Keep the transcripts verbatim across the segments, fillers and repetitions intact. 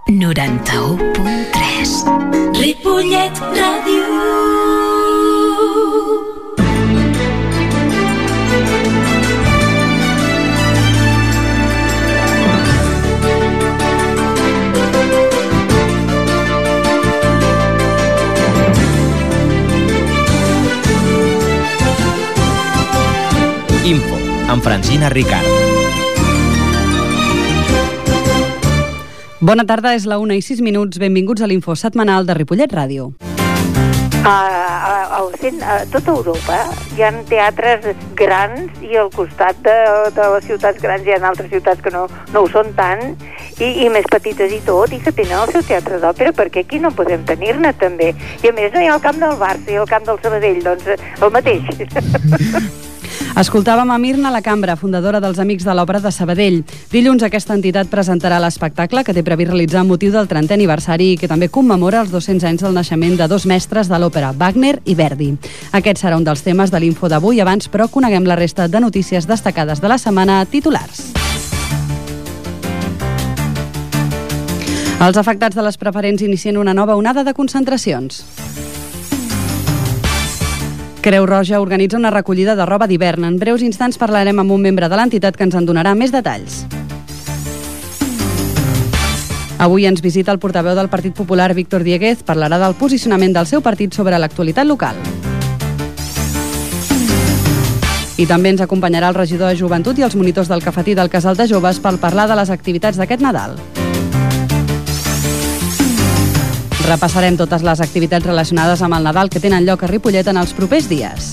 noranta-u punt tres. Ripollet Ràdio. Info, amb Francina Ricard. Bona tarda, és la una i sis minuts. Benvinguts a l'Info setmanal de Ripollet Ràdio. A, a, a, a tota Europa hi ha teatres grans i al costat de, de les ciutats grans hi ha altres ciutats que no, no ho són tant i, i més petites i tot, i que tenen el seu teatre d'òpera, perquè aquí no podem tenir-ne també. I a més no hi ha el camp del Barça i el camp del Sabadell, doncs el mateix. Escoltàvem a Mirna La Cambra, fundadora dels Amics de l'Òpera de Sabadell. Dilluns aquesta entitat presentarà l'espectacle que té previst realitzar amb motiu del trentè aniversari i que també commemora els dos-cents anys del naixement de dos mestres de l'òpera, Wagner i Verdi. Aquest serà un dels temes de l'Info d'avui. Abans, però, coneguem la resta de notícies destacades de la setmana, titulars. Els afectats de les preferents inicien una nova onada de concentracions. Creu Roja organitza una recollida de roba d'hivern. En breus instants parlarem amb un membre de l'entitat que ens en donarà més detalls. Avui ens visita el portaveu del Partit Popular, Víctor Dieguez, parlarà del posicionament del seu partit sobre l'actualitat local. I també ens acompanyarà el regidor de Joventut i els monitors del cafetí del Casal de Joves per parlar de les activitats d'aquest Nadal. Repassarem totes les activitats relacionades amb el Nadal que tenen lloc a Ripollet en els propers dies.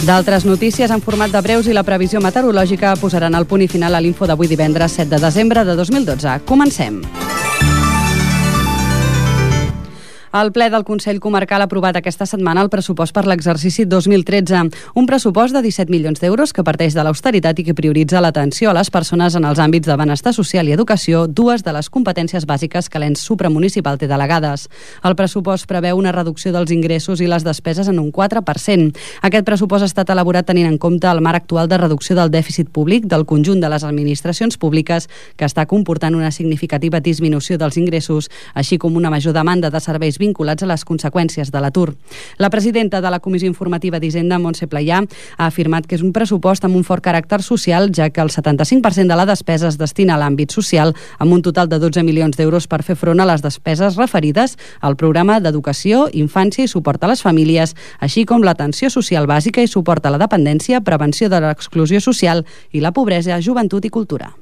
D'altres notícies en format de breus i la previsió meteorològica posaran el punt i final a l'Info d'avui divendres set de desembre de dos mil dotze. Comencem. El ple del Consell Comarcal ha aprovat aquesta setmana el pressupost per l'exercici dos mil tretze, un pressupost de disset milions d'euros que parteix de l'austeritat i que prioritza l'atenció a les persones en els àmbits de benestar social i educació, dues de les competències bàsiques que l'ens supramunicipal té delegades. El pressupost preveu una reducció dels ingressos i les despeses en un quatre per cent. Aquest pressupost ha estat elaborat tenint en compte el marc actual de reducció del dèficit públic del conjunt de les administracions públiques, que està comportant una significativa disminució dels ingressos, així com una major demanda de serveis vinculats a les conseqüències de l'atur. La presidenta de la Comissió Informativa d'Hisenda, Montse Playà, ha afirmat que és un pressupost amb un fort caràcter social, ja que el setanta-cinc per cent de la despesa es destina a l'àmbit social, amb un total de dotze milions d'euros per fer front a les despeses referides al programa d'educació, infància i suport a les famílies, així com l'atenció social bàsica i suport a la dependència, prevenció de l'exclusió social i la pobresa, joventut i cultura.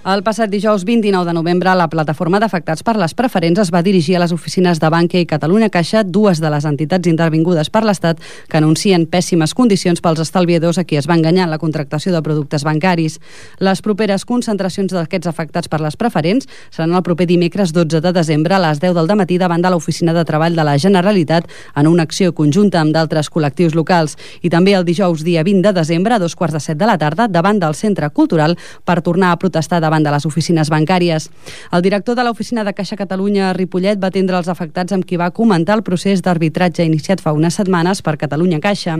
El passat dijous vint-i-nou de novembre, la plataforma d'afectats per les preferents es va dirigir a les oficines de Bankia i Catalunya Caixa, dues de les entitats intervingudes per l'Estat que anuncien pèssimes condicions pels estalviadors a qui es va enganyar en la contractació de productes bancaris. Les properes concentracions d'aquests afectats per les preferents seran el proper dimecres dotze de desembre a les deu del dematí davant de l'Oficina de Treball de la Generalitat en una acció conjunta amb d'altres col·lectius locals, i també el dijous dia vint de desembre a dos quarts de set de la tarda davant del Centre Cultural per tornar a protestar davant de les oficines bancàries. El director de l'Oficina de Caixa Catalunya a Ripollet va atendre els afectats amb qui va comentar el procés d'arbitratge iniciat fa unes setmanes per Catalunya Caixa.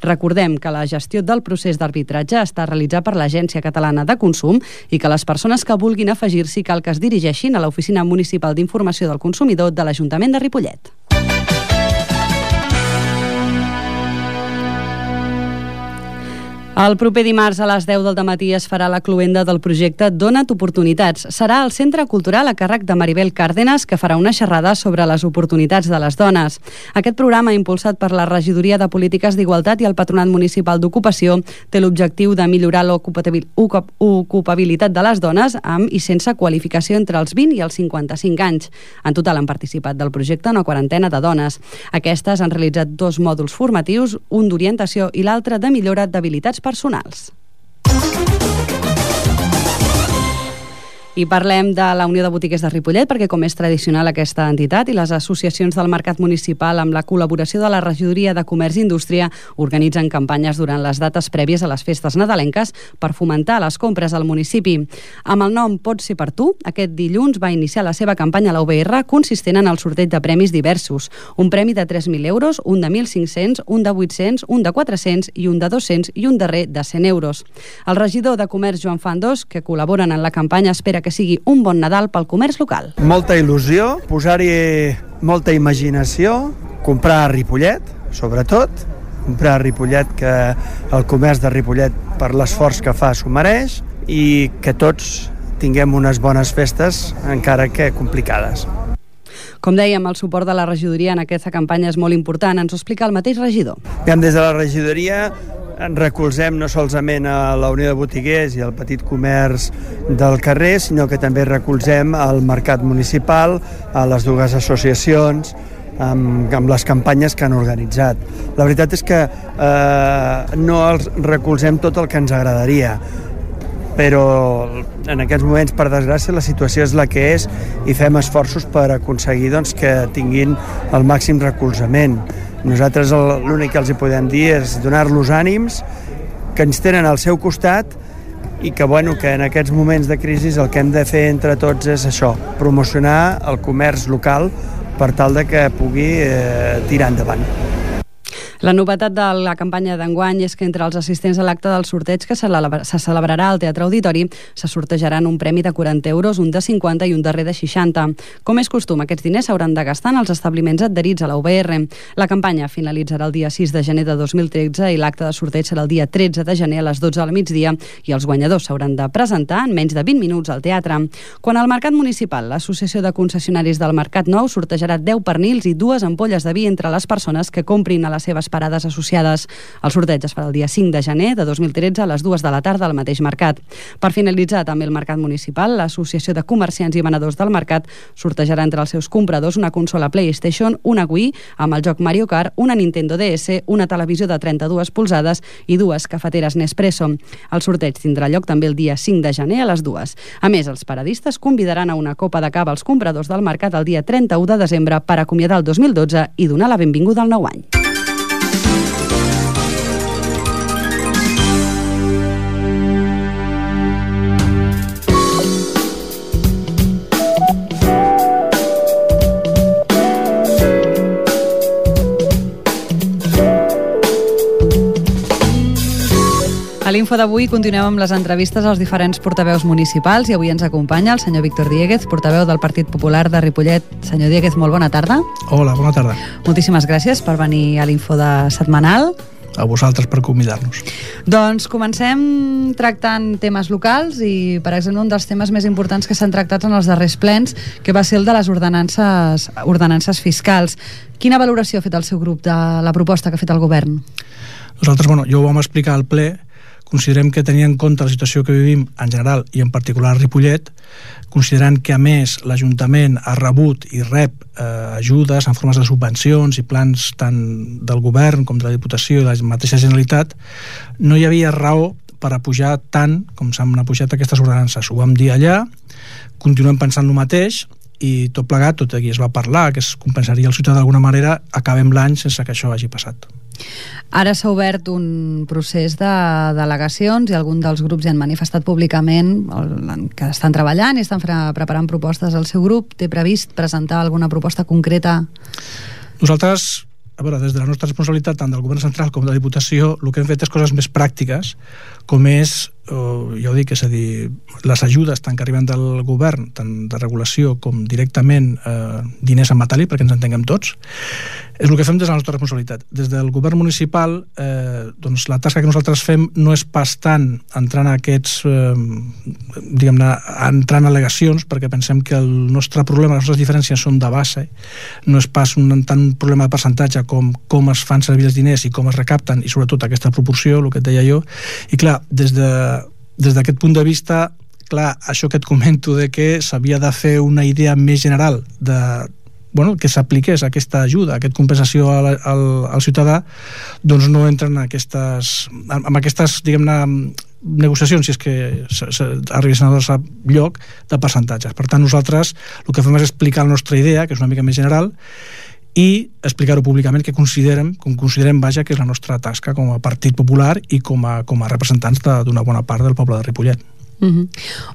Recordem que la gestió del procés d'arbitratge està realitzat per l'Agència Catalana de Consum i que les persones que vulguin afegir-s'hi cal que es dirigeixin a l'Oficina Municipal d'Informació del Consumidor de l'Ajuntament de Ripollet. El proper dimarts a les deu del dematí es farà la cloenda del projecte Dona't Oportunitats. Serà al Centre Cultural a càrrec de Maribel Cárdenas, que farà una xerrada sobre les oportunitats de les dones. Aquest programa, impulsat per la Regidoria de Polítiques d'Igualtat i el Patronat Municipal d'Ocupació, té l'objectiu de millorar l'ocupabilitat de les dones amb i sense qualificació entre els vint i els cinquanta-cinc anys. En total han participat del projecte una quarantena de dones. Aquestes han realitzat dos mòduls formatius, un d'orientació i l'altre de millora d'habilitats personals. I parlem de la Unió de Botiguers de Ripollet, perquè com és tradicional aquesta entitat i les associacions del mercat municipal amb la col·laboració de la Regidoria de Comerç i Indústria organitzen campanyes durant les dates prèvies a les festes nadalenques per fomentar les compres al municipi. Amb el nom Pot ser per tu, aquest dilluns va iniciar la seva campanya a la U B R consistent en el sorteig de premis diversos. Un premi de tres mil euros, un de mil cinc-cents, un de vuit-cents, un de quatre-cents i un de dos-cents i un darrer de cent euros. El regidor de Comerç, Joan Fandos, que col·laboren en la campanya, espera que sigui un bon Nadal pel comerç local. Molta il·lusió, posar-hi molta imaginació, comprar a Ripollet, sobretot, comprar a Ripollet, que el comerç de Ripollet, per l'esforç que fa, s'ho mereix, i que tots tinguem unes bones festes, encara que complicades. Com dèiem, el suport de la regidoria en aquesta campanya és molt important. Ens ho explica el mateix regidor. Des de la regidoria ens recolzem no solament a la Unió de Botiguers i al petit comerç del carrer, sinó que també recolzem al mercat municipal, a les dues associacions, amb, amb les campanyes que han organitzat. La veritat és que eh, no els recolzem tot el que ens agradaria, però en aquests moments, per desgràcia, la situació és la que és i fem esforços per aconseguir doncs, que tinguin el màxim recolzament. Nosaltres l'únic que els hi podem dir és donar-los ànims, que ens tenen al seu costat i que, bueno, que en aquests moments de crisi el que hem de fer entre tots és això, promocionar el comerç local per tal de que pugui eh, tirar endavant. La novetat de la campanya d'enguany és que entre els assistents a l'acte del sorteig que se celebrarà al Teatre Auditori se sortejaran un premi de quaranta euros, un de cinquanta i un darrer de seixanta. Com és costum, aquests diners s'hauran de gastar en els establiments adherits a la U B R. La campanya finalitzarà el dia sis de gener de dos mil tretze i l'acte de sorteig serà el dia tretze de gener a les dotze del migdia i els guanyadors s'hauran de presentar en menys de vint minuts al teatre. Quan al mercat municipal, l'Associació de Concessionaris del Mercat Nou sortejarà deu pernils i dues ampolles de vi entre les persones que comprin a les seves parades associades. El sorteig es farà el dia cinc de gener de dos mil tretze a les dues de la tarda al mateix mercat. Per finalitzar també el mercat municipal, l'Associació de Comerciants i Venedors del Mercat sortejarà entre els seus compradors una consola PlayStation, una Wii amb el joc Mario Kart, una Nintendo D S, una televisió de trenta-dues polzades i dues cafeteres Nespresso. El sorteig tindrà lloc també el dia cinc de gener a les dues. A més, els paradistes convidaran a una copa de cava als compradors del mercat el dia trenta-u de desembre per acomiadar el dos mil dotze i donar la benvinguda al nou any. A l'info d'avui continuem amb les entrevistes als diferents portaveus municipals i avui ens acompanya el senyor Víctor Diéguez, portaveu del Partit Popular de Ripollet. Senyor Diéguez, molt bona tarda. Hola, bona tarda. Moltíssimes gràcies per venir a l'info de setmanal. A vosaltres per convidar-nos. Doncs comencem tractant temes locals i, per exemple, un dels temes més importants que s'han tractat en els darrers plens, que va ser el de les ordenances, ordenances fiscals. Quina valoració ha fet el seu grup de la proposta que ha fet el govern? Nosaltres, bueno, jo ho vam explicar al ple. Considerem que tenint en compte la situació que vivim en general i en particular a Ripollet, considerant que a més l'Ajuntament ha rebut i rep eh, ajudes en formes de subvencions i plans tant del govern com de la Diputació i de la mateixa Generalitat, no hi havia raó per apujar tant com s'han apujat aquestes ordenances. Ho vam dir allà, continuem pensant el mateix i tot plegat, tot aquí es va parlar que es compensaria el ciutadà d'alguna manera, acabem l'any sense que això hagi passat. Ara s'ha obert un procés de delegacions i alguns dels grups hi han manifestat públicament que estan treballant i estan preparant propostes. El seu grup té previst presentar alguna proposta concreta? Nosaltres, a veure, des de la nostra responsabilitat tant del govern central com de la Diputació, el que hem fet és coses més pràctiques, com és, eh, ja ho dic, és a dir, les ajudes tant que arriben del govern, tant de regulació com directament eh, diners en metàl·lic, perquè ens entenguem tots, és el que fem des de la nostra responsabilitat. Des del govern municipal, eh, doncs la tasca que nosaltres fem no és pas tant entrant a aquests, eh, diguem-ne, entrant a al·legacions, perquè pensem que el nostre problema, les nostres diferències són de base, no és pas un, tant un problema de percentatge com com es fan servir els diners i com es recapten, i sobretot aquesta proporció, el que et deia jo. I clar, des de, des d'aquest punt de vista, clar, això que et comento de que s'havia de fer una idea més general de bueno, que s'apliqués aquesta ajuda, aquesta compensació al, al, al ciutadà, doncs no entren en aquestes, en aquestes, diguem-ne, negociacions, si és que arribessin a cap lloc, de percentatges. Per tant, nosaltres el que fem és explicar la nostra idea, que és una mica més general, i explicar-ho públicament que considerem, com considerem, vaja, que és la nostra tasca com a Partit Popular i com a, com a representants d'una bona part del poble de Ripollet. Uh-huh.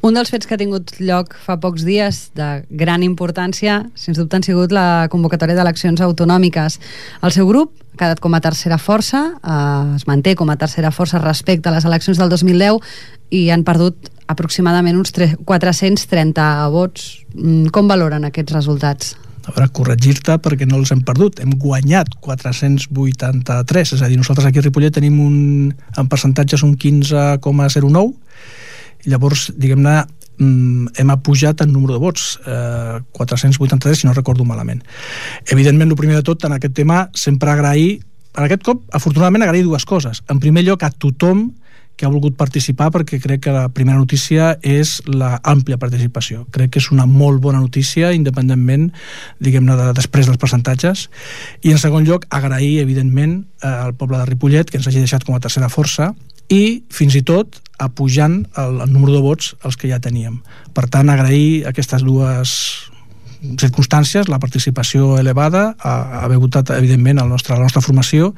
Un dels fets que ha tingut lloc fa pocs dies de gran importància, sens dubte, han sigut la convocatòria d'eleccions autonòmiques. El seu grup ha quedat com a tercera força, eh, es manté com a tercera força respecte a les eleccions del dos mil deu i han perdut aproximadament uns quatre-cents trenta vots. Com valoren aquests resultats? A veure, corregir-te perquè no els hem perdut. Hem guanyat quatre-cents vuitanta-tres, és a dir, nosaltres aquí a Ripollet tenim un, en percentatges un quinze coma zero nou. Llavors, diguem-ne, hem apujat en número de vots, eh, quatre-cents vuitanta-tres, si no recordo malament. Evidentment, el primer de tot, en aquest tema, sempre agrair, en aquest cop, afortunadament, agrair dues coses. En primer lloc, a tothom que ha volgut participar, perquè crec que la primera notícia és la àmplia participació. Crec que és una molt bona notícia, independentment, diguem-ne, de, després dels percentatges. I, en segon lloc, agrair, evidentment, al poble de Ripollet, que ens hagi deixat com a tercera força, i fins i tot apujant el, el número de vots els que ja teníem. Per tant, agrair aquestes dues circumstàncies, la participació elevada, a haver votat, evidentment, el nostre, la nostra formació,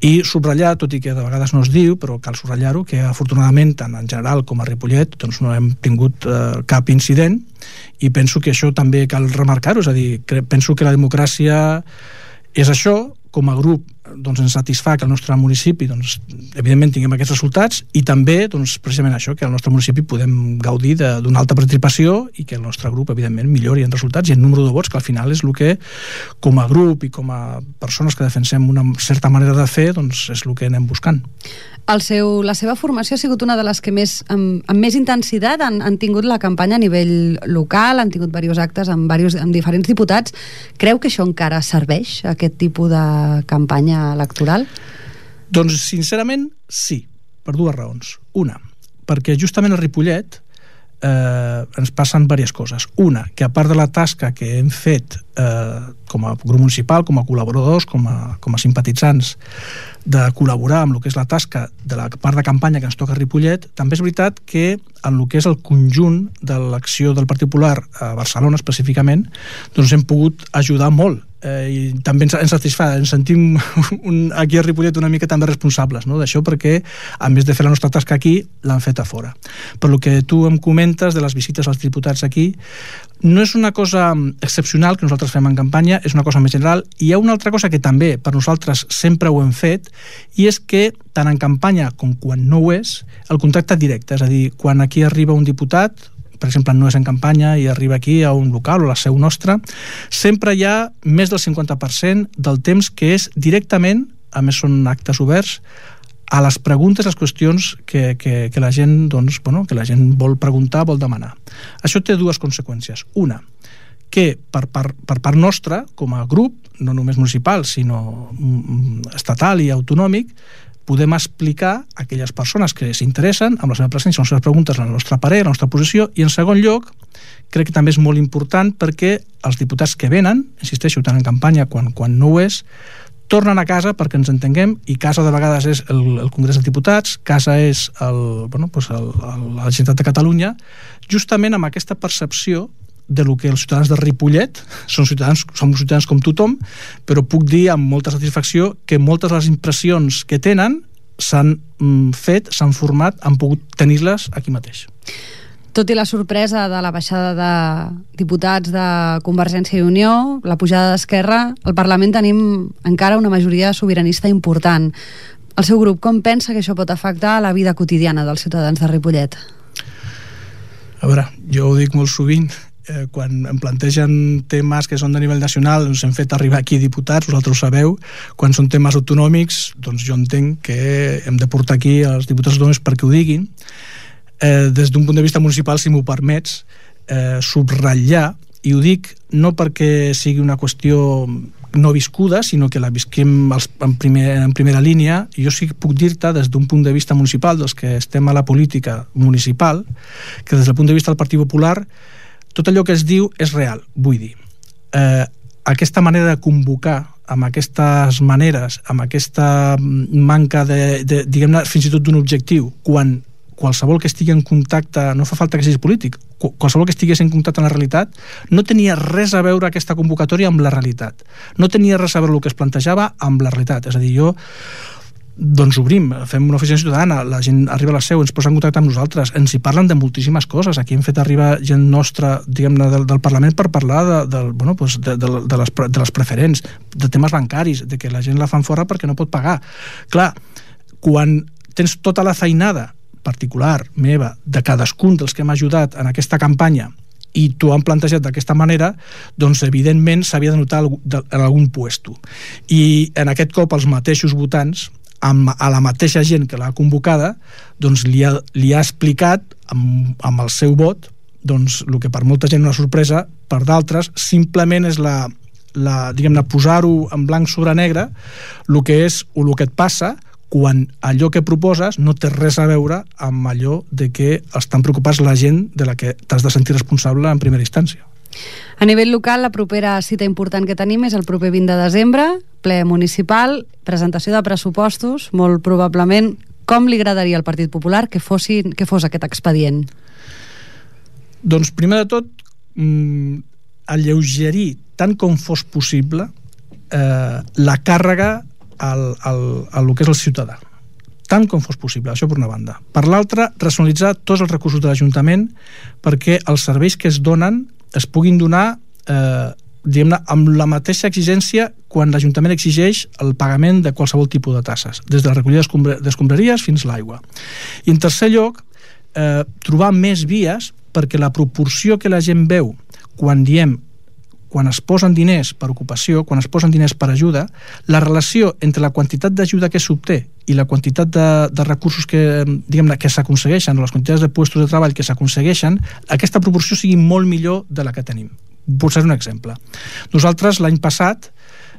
i subratllar, tot i que de vegades no es diu, però cal subratllar-ho, que afortunadament, tant en general com a Ripollet, doncs no hem tingut eh, cap incident, i penso que això també cal remarcar-ho, és a dir, penso que la democràcia és això. Com a grup, doncs, ens satisfà que el nostre municipi, doncs, evidentment, tinguem aquests resultats, i també, doncs, precisament això, que al nostre municipi podem gaudir d'una alta participació i que el nostre grup, evidentment, millori en resultats i en número de vots, que al final és el que, com a grup i com a persones que defensem una certa manera de fer, doncs, és el que anem buscant. El seu, la seva formació ha sigut una de les que més, amb, amb més intensitat han, han tingut la campanya a nivell local, han tingut diversos actes amb, diversos, amb diferents diputats. Creu que això encara serveix, aquest tipus de campanya electoral? Doncs, sincerament, sí, per dues raons. Una, perquè justament a Ripollet eh, ens passen diverses coses. Una, que a part de la tasca que hem fet eh, com a grup municipal, com a col·laboradors, com a, com a simpatitzants, de col·laborar amb el que és la tasca de la part de campanya que ens toca a Ripollet, també és veritat que en el que és el conjunt de l'acció del Partit Popular a Barcelona específicament, doncs hem pogut ajudar molt. Eh, i també ens, ens satisfà, ens sentim un, aquí a Ripollet una mica també responsables, no?, d'això, perquè a més de fer la nostra tasca aquí, l'han fet a fora. Per lo que tu em comentes de les visites als diputats aquí, no és una cosa excepcional que nosaltres fem en campanya, és una cosa més general. I hi ha una altra cosa que també per nosaltres sempre ho hem fet, i és que tant en campanya com quan no ho és, el contacte directe, és a dir, quan aquí arriba un diputat, per exemple, no és en campanya i arriba aquí a un local o a la seu nostra, sempre hi ha més del cinquanta per cent del temps que és directament, a més són actes oberts, a les preguntes, les qüestions que, que, que la gent, doncs, bueno, que la gent vol preguntar, vol demanar. Això té dues conseqüències. Una, que per, per, per part nostra, com a grup, no només municipal, sinó estatal i autonòmic, podem explicar a aquelles persones que s'interessen amb la seva presència, les seves preguntes, la nostra parer, la nostra posició, i en segon lloc, crec que també és molt important perquè els diputats que venen, insisteixo, tant en campanya quan, quan no ho és, tornen a casa perquè ens entenguem, i casa de vegades és el, el Congrés dels Diputats, casa és el, bueno, pues el, el, la Generalitat de Catalunya, justament amb aquesta percepció de lo que els ciutadans de Ripollet són ciutadans, som ciutadans com tothom, però puc dir amb molta satisfacció que moltes de les impressions que tenen s'han mm, fet, s'han format, han pogut tenir-les aquí mateix. Tot i la sorpresa de la baixada de diputats de Convergència i Unió, la pujada d'Esquerra, al Parlament tenim encara una majoria sobiranista important. El seu grup, com pensa que això pot afectar la vida quotidiana dels ciutadans de Ripollet? A veure, jo ho dic molt sovint, eh, quan em plantegen temes que són de nivell nacional, ens hem fet arribar aquí diputats, vosaltres ho sabeu, quan són temes autonòmics, doncs jo entenc que hem de portar aquí els diputats autonòmics perquè ho diguin. Eh, des d'un punt de vista municipal, si m'ho permets, eh, subratllar, i ho dic no perquè sigui una qüestió no viscuda, sinó que la visquem als, en, primer, en primera línia, i jo sí que puc dir-te des d'un punt de vista municipal, dels que estem a la política municipal, que des del punt de vista del Partit Popular tot allò que es diu és real. Vull dir, eh, aquesta manera de convocar, amb aquestes maneres, amb aquesta manca de, de diguem-ne, fins i tot d'un objectiu, quan qualsevol que estigui en contacte, no fa falta que sigui polític, qualsevol que estigués en contacte amb la realitat, no tenia res a veure aquesta convocatòria amb la realitat. No tenia res a veure el que es plantejava amb la realitat. És a dir, jo doncs obrim, fem una oficina ciutadana, la gent arriba a la seu, ens posa en contacte amb nosaltres, ens hi parlen de moltíssimes coses. Aquí hem fet arribar gent nostra, diguem-ne, del, del Parlament per parlar de, de, bueno, doncs de, de, de, les, de les preferents, de temes bancaris, de que la gent la fan fora perquè no pot pagar. Clar, quan tens tota la feinada particular meva, de cadascun dels que m'ha ajudat en aquesta campanya, i t'ho han plantejat d'aquesta manera, doncs evidentment s'havia de notar en algun puesto. I en aquest cop els mateixos votants, amb, a la mateixa gent que l'ha convocada, doncs li ha, li ha explicat amb, amb el seu vot doncs el que per molta gent és una sorpresa, per d'altres simplement és la, la diguem-ne, posar-ho en blanc sobre negre, el que és o el que et passa quan allò que proposes no té res a veure amb allò de que estan preocupats la gent de la que t'has de sentir responsable en primera instància. A nivell local, la propera cita important que tenim és el proper vint de desembre, ple municipal, presentació de pressupostos, molt probablement. Com li agradaria al Partit Popular que, fossin, que fos aquest expedient? Doncs, primer de tot, mmm, alleugerir tant com fos possible eh, la càrrega al, al, al que és el ciutadà. Tant com fos possible, això per una banda. Per l'altra, racionalitzar tots els recursos de l'Ajuntament perquè els serveis que es donen es puguin donar eh, diguem-ne, amb la mateixa exigència quan l'Ajuntament exigeix el pagament de qualsevol tipus de tasses, des de la recollida d'escombraries fins a l'aigua. I en tercer lloc, eh, trobar més vies perquè la proporció que la gent veu quan diem quan es posen diners per ocupació, quan es posen diners per ajuda, la relació entre la quantitat d'ajuda que s'obté i la quantitat de, de recursos que, diguem-ne, que s'aconsegueixen, o les quantitats de puestos de treball que s'aconsegueixen, aquesta proporció sigui molt millor de la que tenim. Pot ser un exemple. Nosaltres l'any passat,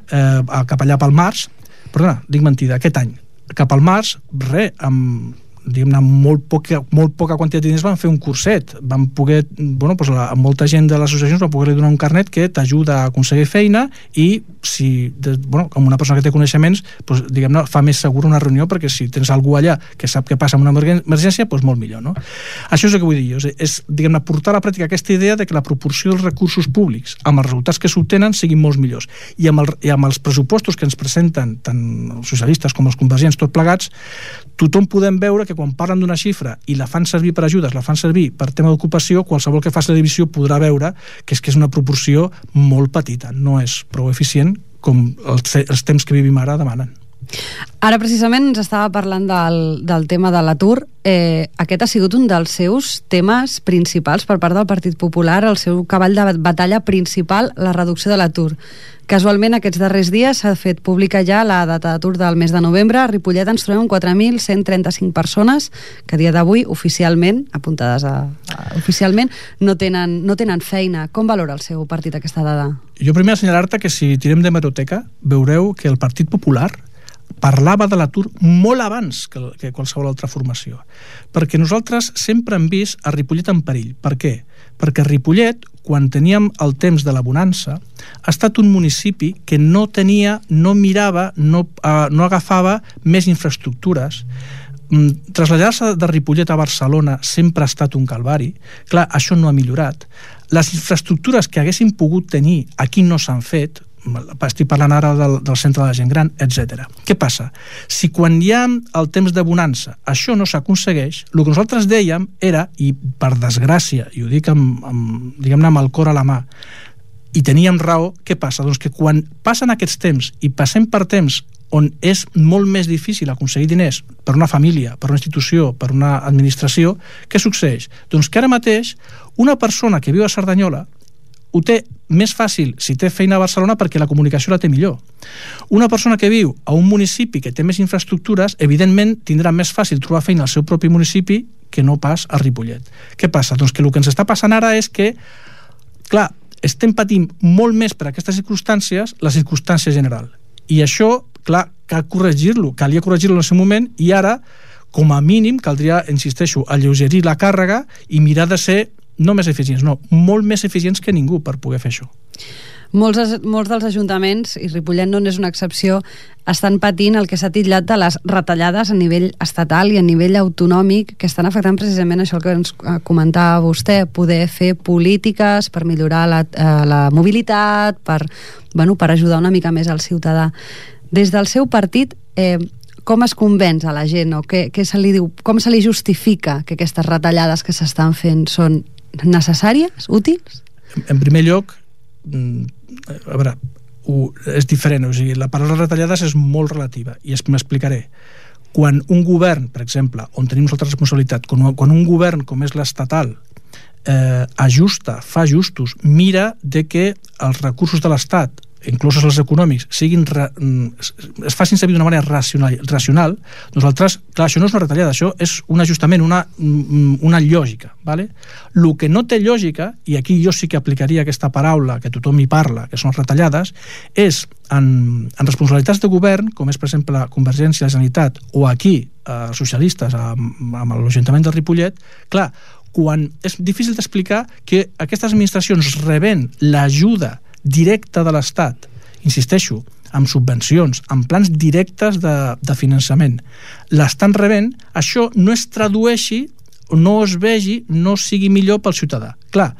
eh, cap allà pel març, perdona, dic mentida, aquest any, cap al març, res, amb diguem-ne, molt poca, molt poca quantitat de diners van fer un curset, van poder, bueno, doncs la, molta gent de les associacions va poder donar un carnet que t'ajuda a aconseguir feina i si, de, bueno, com una persona que té coneixements, doncs, diguem-ne, fa més segura una reunió perquè si tens algú allà que sap què passa amb una emergència, doncs molt millor, no? Això és el que vull dir jo, és, és diguem-ne, portar a la pràctica aquesta idea de que la proporció dels recursos públics amb els resultats que s'obtenen siguin molt millors. I amb, el, i amb els pressupostos que ens presenten tant els socialistes com els convergents, tot plegats, tothom podem veure que quan parlen d'una xifra i la fan servir per ajudes, la fan servir per tema d'ocupació, qualsevol que faci la divisió podrà veure que és que és una proporció molt petita, no és prou eficient com els, els temps que vivim ara demanen. Ara precisament ens estava parlant del, del tema de l'atur. Eh, aquest ha sigut un dels seus temes principals per part del Partit Popular, el seu cavall de batalla principal, la reducció de l'atur. Casualment, aquests darrers dies s'ha fet pública ja la data d'atur del mes de novembre. A Ripollet ens trobem quatre mil cent trenta-cinc persones que a dia d'avui oficialment, apuntades a, a, oficialment, no tenen, no tenen feina. Com valora el seu partit aquesta dada? Jo primer assenyalar-te que si tirem d'hemeroteca veureu que el Partit Popular parlava de l'atur molt abans que, que qualsevol altra formació. Perquè nosaltres sempre hem vist a Ripollet en perill. Per què? Perquè Ripollet, quan teníem el temps de la bonança, ha estat un municipi que no tenia, no mirava, no, uh, no agafava més infraestructures. Mm, traslladar-se de Ripollet a Barcelona sempre ha estat un calvari. Clar, això no ha millorat. Les infraestructures que haguessin pogut tenir aquí no s'han fet, estic parlant ara del, del centre de la gent gran, etcètera. Què passa? Si quan hi ha el temps de bonança això no s'aconsegueix, el que nosaltres dèiem era, i per desgràcia, i ho dic amb, amb, diguem-ne, amb el cor a la mà, i teníem raó, què passa? Doncs que quan passen aquests temps i passem per temps on és molt més difícil aconseguir diners per una família, per una institució, per una administració, què succeeix? Doncs que ara mateix una persona que viu a Cerdanyola ho té més fàcil si té feina a Barcelona perquè la comunicació la té millor. Una persona que viu a un municipi que té més infraestructures, evidentment tindrà més fàcil trobar feina al seu propi municipi que no pas a Ripollet. Què passa? Doncs que el que ens està passant ara és que, clar, estem patint molt més per aquestes circumstàncies la circumstància general. I això, clar, cal corregir-lo, calia corregir-lo en el seu moment i ara, com a mínim, caldria, insisteixo, alleugerir la càrrega i mirar de ser no més eficients, no, molt més eficients que ningú per poder fer això. Molts, molts dels ajuntaments, i Ripollet no és una excepció, estan patint el que s'ha titllat de les retallades a nivell estatal i a nivell autonòmic, que estan afectant precisament això que ens comentava vostè, poder fer polítiques per millorar la, eh, la mobilitat, per, bueno, per ajudar una mica més al ciutadà. Des del seu partit, eh, com es convenç a la gent, o què, què se li diu, com se li justifica que aquestes retallades que s'estan fent són necessàries, útils? En primer lloc, a veure, és diferent, o sigui, la paraula retallades és molt relativa i m'explicaré. Quan un govern, per exemple, on tenim nosaltres responsabilitat, quan, quan un govern com és l'estatal eh, ajusta, fa ajustos, mira de que els recursos de l'Estat, inclús els econòmics, siguin ra, es facin servir d'una manera racional, racional, nosaltres, clar, això no és una retallada, això és un ajustament, una, una lògica, ¿vale? El que no té lògica, i aquí jo sí que aplicaria aquesta paraula que tothom hi parla, que són retallades, és en, en responsabilitats de govern, com és, per exemple, Convergència, la Generalitat, o aquí, els socialistes, amb, amb l'Ajuntament de Ripollet, clar, quan és difícil d'explicar que aquestes administracions reben l'ajuda directa de l'Estat, insisteixo, amb subvencions, amb plans directes de, de finançament, l'estan rebent, això no es tradueixi, no es vegi, no sigui millor pel ciutadà. Clar,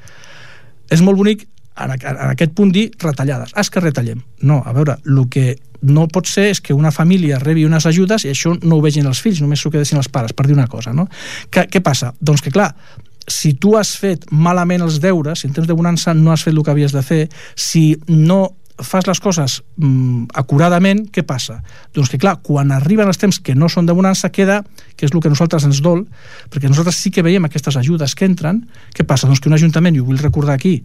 és molt bonic en, en aquest punt dir retallades. Ah, és que retallem. No, a veure, el que no pot ser és que una família rebi unes ajudes i això no ho vegin els fills, només s'ho quedessin els pares, per dir una cosa, no? Que, què passa? Doncs que, clar, si tu has fet malament els deures, si en temps de bonança no has fet el que havies de fer, si no fas les coses mm, acuradament, què passa? Doncs que clar, quan arriben els temps que no són de bonança, queda, que és el que a nosaltres ens dol, perquè nosaltres sí que veiem aquestes ajudes que entren, què passa? Doncs que un ajuntament, i ho vull recordar aquí,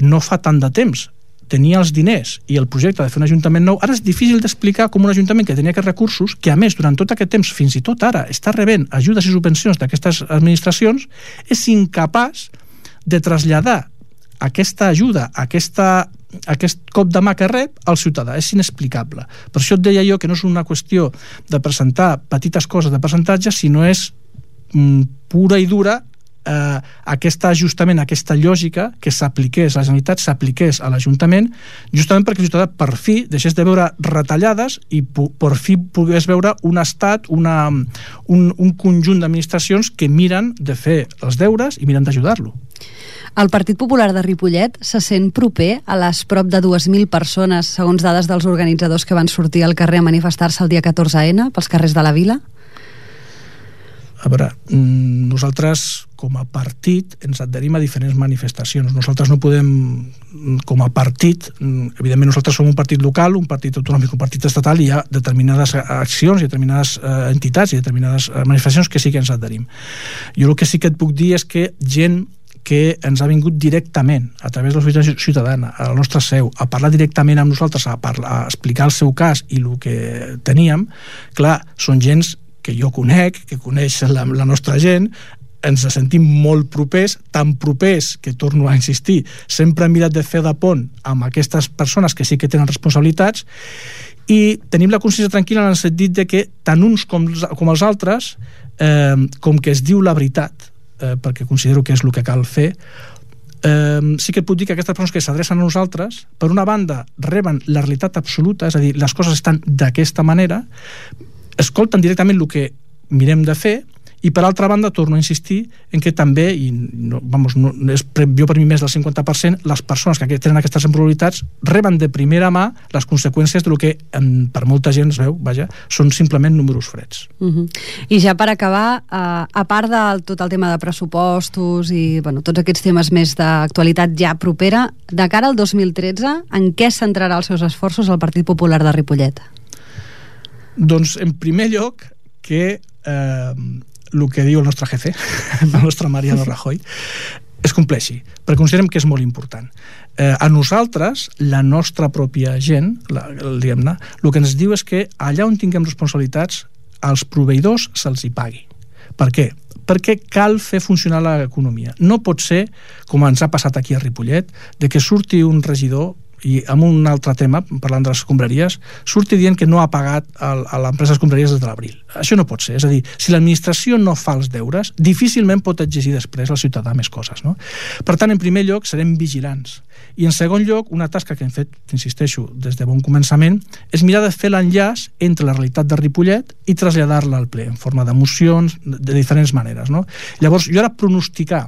no fa tant de temps tenia els diners i el projecte de fer un ajuntament nou, ara és difícil d'explicar com un ajuntament que tenia aquests recursos, que a més durant tot aquest temps, fins i tot ara, està rebent ajudes i subvencions d'aquestes administracions, és incapaç de traslladar aquesta ajuda, aquesta, aquest cop de mà que rep al ciutadà. És inexplicable. Per això et deia jo que no és una qüestió de presentar petites coses de percentatge, sinó és mm, pura i dura eh, aquest ajustament, aquesta lògica que s'apliqués a la Generalitat, s'apliqués a l'Ajuntament, justament perquè el ciutadà per fi deixés de veure retallades i per fi pogués veure un estat, una, un, un conjunt d'administracions que miren de fer els deures i miren d'ajudar-lo. El Partit Popular de Ripollet se sent proper a les prop de dues mil persones, segons dades dels organitzadors que van sortir al carrer a manifestar-se el dia catorze ena pels carrers de la vila? A veure, nosaltres com a partit ens adherim a diferents manifestacions. Nosaltres no podem, com a partit, evidentment nosaltres som un partit local, un partit autonòmic, un partit estatal, i hi ha determinades accions i determinades entitats i determinades manifestacions que sí que ens adherim. Jo el que sí que et puc dir és que gent que ens ha vingut directament a través de la societat ciutadana, a la nostra seu, a parlar directament amb nosaltres, a, parlar, a explicar el seu cas i el que teníem, clar, són gens que jo conec, que coneix la, la nostra gent, ens sentim molt propers, tan propers que, torno a insistir, sempre hem mirat de fer de pont amb aquestes persones que sí que tenen responsabilitats, i tenim la consciència tranquil·la en el sentit de que tant uns com, com els altres, eh, com que es diu la veritat, eh, perquè considero que és el que cal fer, eh, sí que et puc dir que aquestes persones que s'adrecen a nosaltres, per una banda reben la realitat absoluta, és a dir, les coses estan d'aquesta manera, escolten directament el que mirem de fer, i per altra banda torno a insistir en que també, i no, vamos, no, és jo per mi més del cinquanta per cent, les persones que tenen aquestes responsabilitats reben de primera mà les conseqüències del que en, per molta gent es veu, vaja, són simplement números freds. Uh-huh. I ja per acabar, uh, a part de tot el tema de pressupostos i bueno, tots aquests temes més d'actualitat ja propera, de cara al dos mil tretze, en què centrarà els seus esforços el Partit Popular de Ripollet? Doncs, en primer lloc, que eh, el que diu el nostre jefe, el nostre Mariano Rajoy, es compleixi, perquè considerem que és molt important. Eh, a nosaltres, la nostra pròpia gent, la, diguem-ne, el que ens diu és que allà on tinguem responsabilitats, als proveïdors se'ls hi pagui. Per què? Perquè cal fer funcionar l'economia. No pot ser, com ens ha passat aquí a Ripollet, de que surti un regidor, i amb un altre tema, parlant de les escombraries, surti dient que no ha pagat a l'empresa escombraries des de l'abril. Això no pot ser. És a dir, si l'administració no fa els deures, difícilment pot exigir després al ciutadà més coses, no? Per tant, en primer lloc, serem vigilants. I en segon lloc, una tasca que hem fet, insisteixo, des de bon començament, és mirar de fer l'enllaç entre la realitat de Ripollet i traslladar-la al ple, en forma de mocions, de diferents maneres, no? Llavors, jo ara pronosticar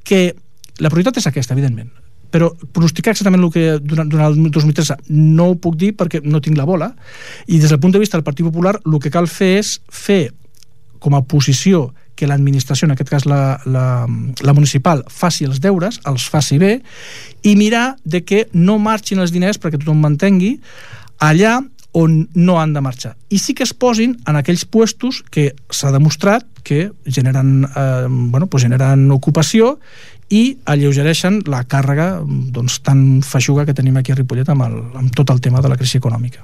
que la prioritat és aquesta, evidentment, però pronosticar exactament el que durant, durant el dos mil tretze no ho puc dir perquè no tinc la bola, i des del punt de vista del Partit Popular el que cal fer és fer com a posició que l'administració, en aquest cas la, la, la municipal, faci els deures, els faci bé, i mirar de que no marxin els diners, perquè tothom m'entengui, allà on no han de marxar. I sí que es posin en aquells puestos que s'ha demostrat que generen, eh, bueno, pues generen ocupació i alleugereixen la càrrega doncs, tan feixuga que tenim aquí a Ripollet amb, el, amb tot el tema de la crisi econòmica.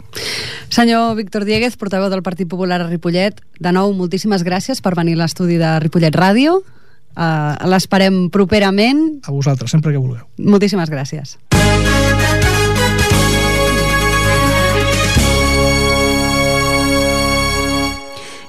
Senyor Víctor Diéguez, portaveu del Partit Popular a Ripollet, de nou, moltíssimes gràcies per venir a l'estudi de Ripollet Ràdio. Uh, l'esperem properament. A vosaltres, sempre que vulgueu. Moltíssimes gràcies.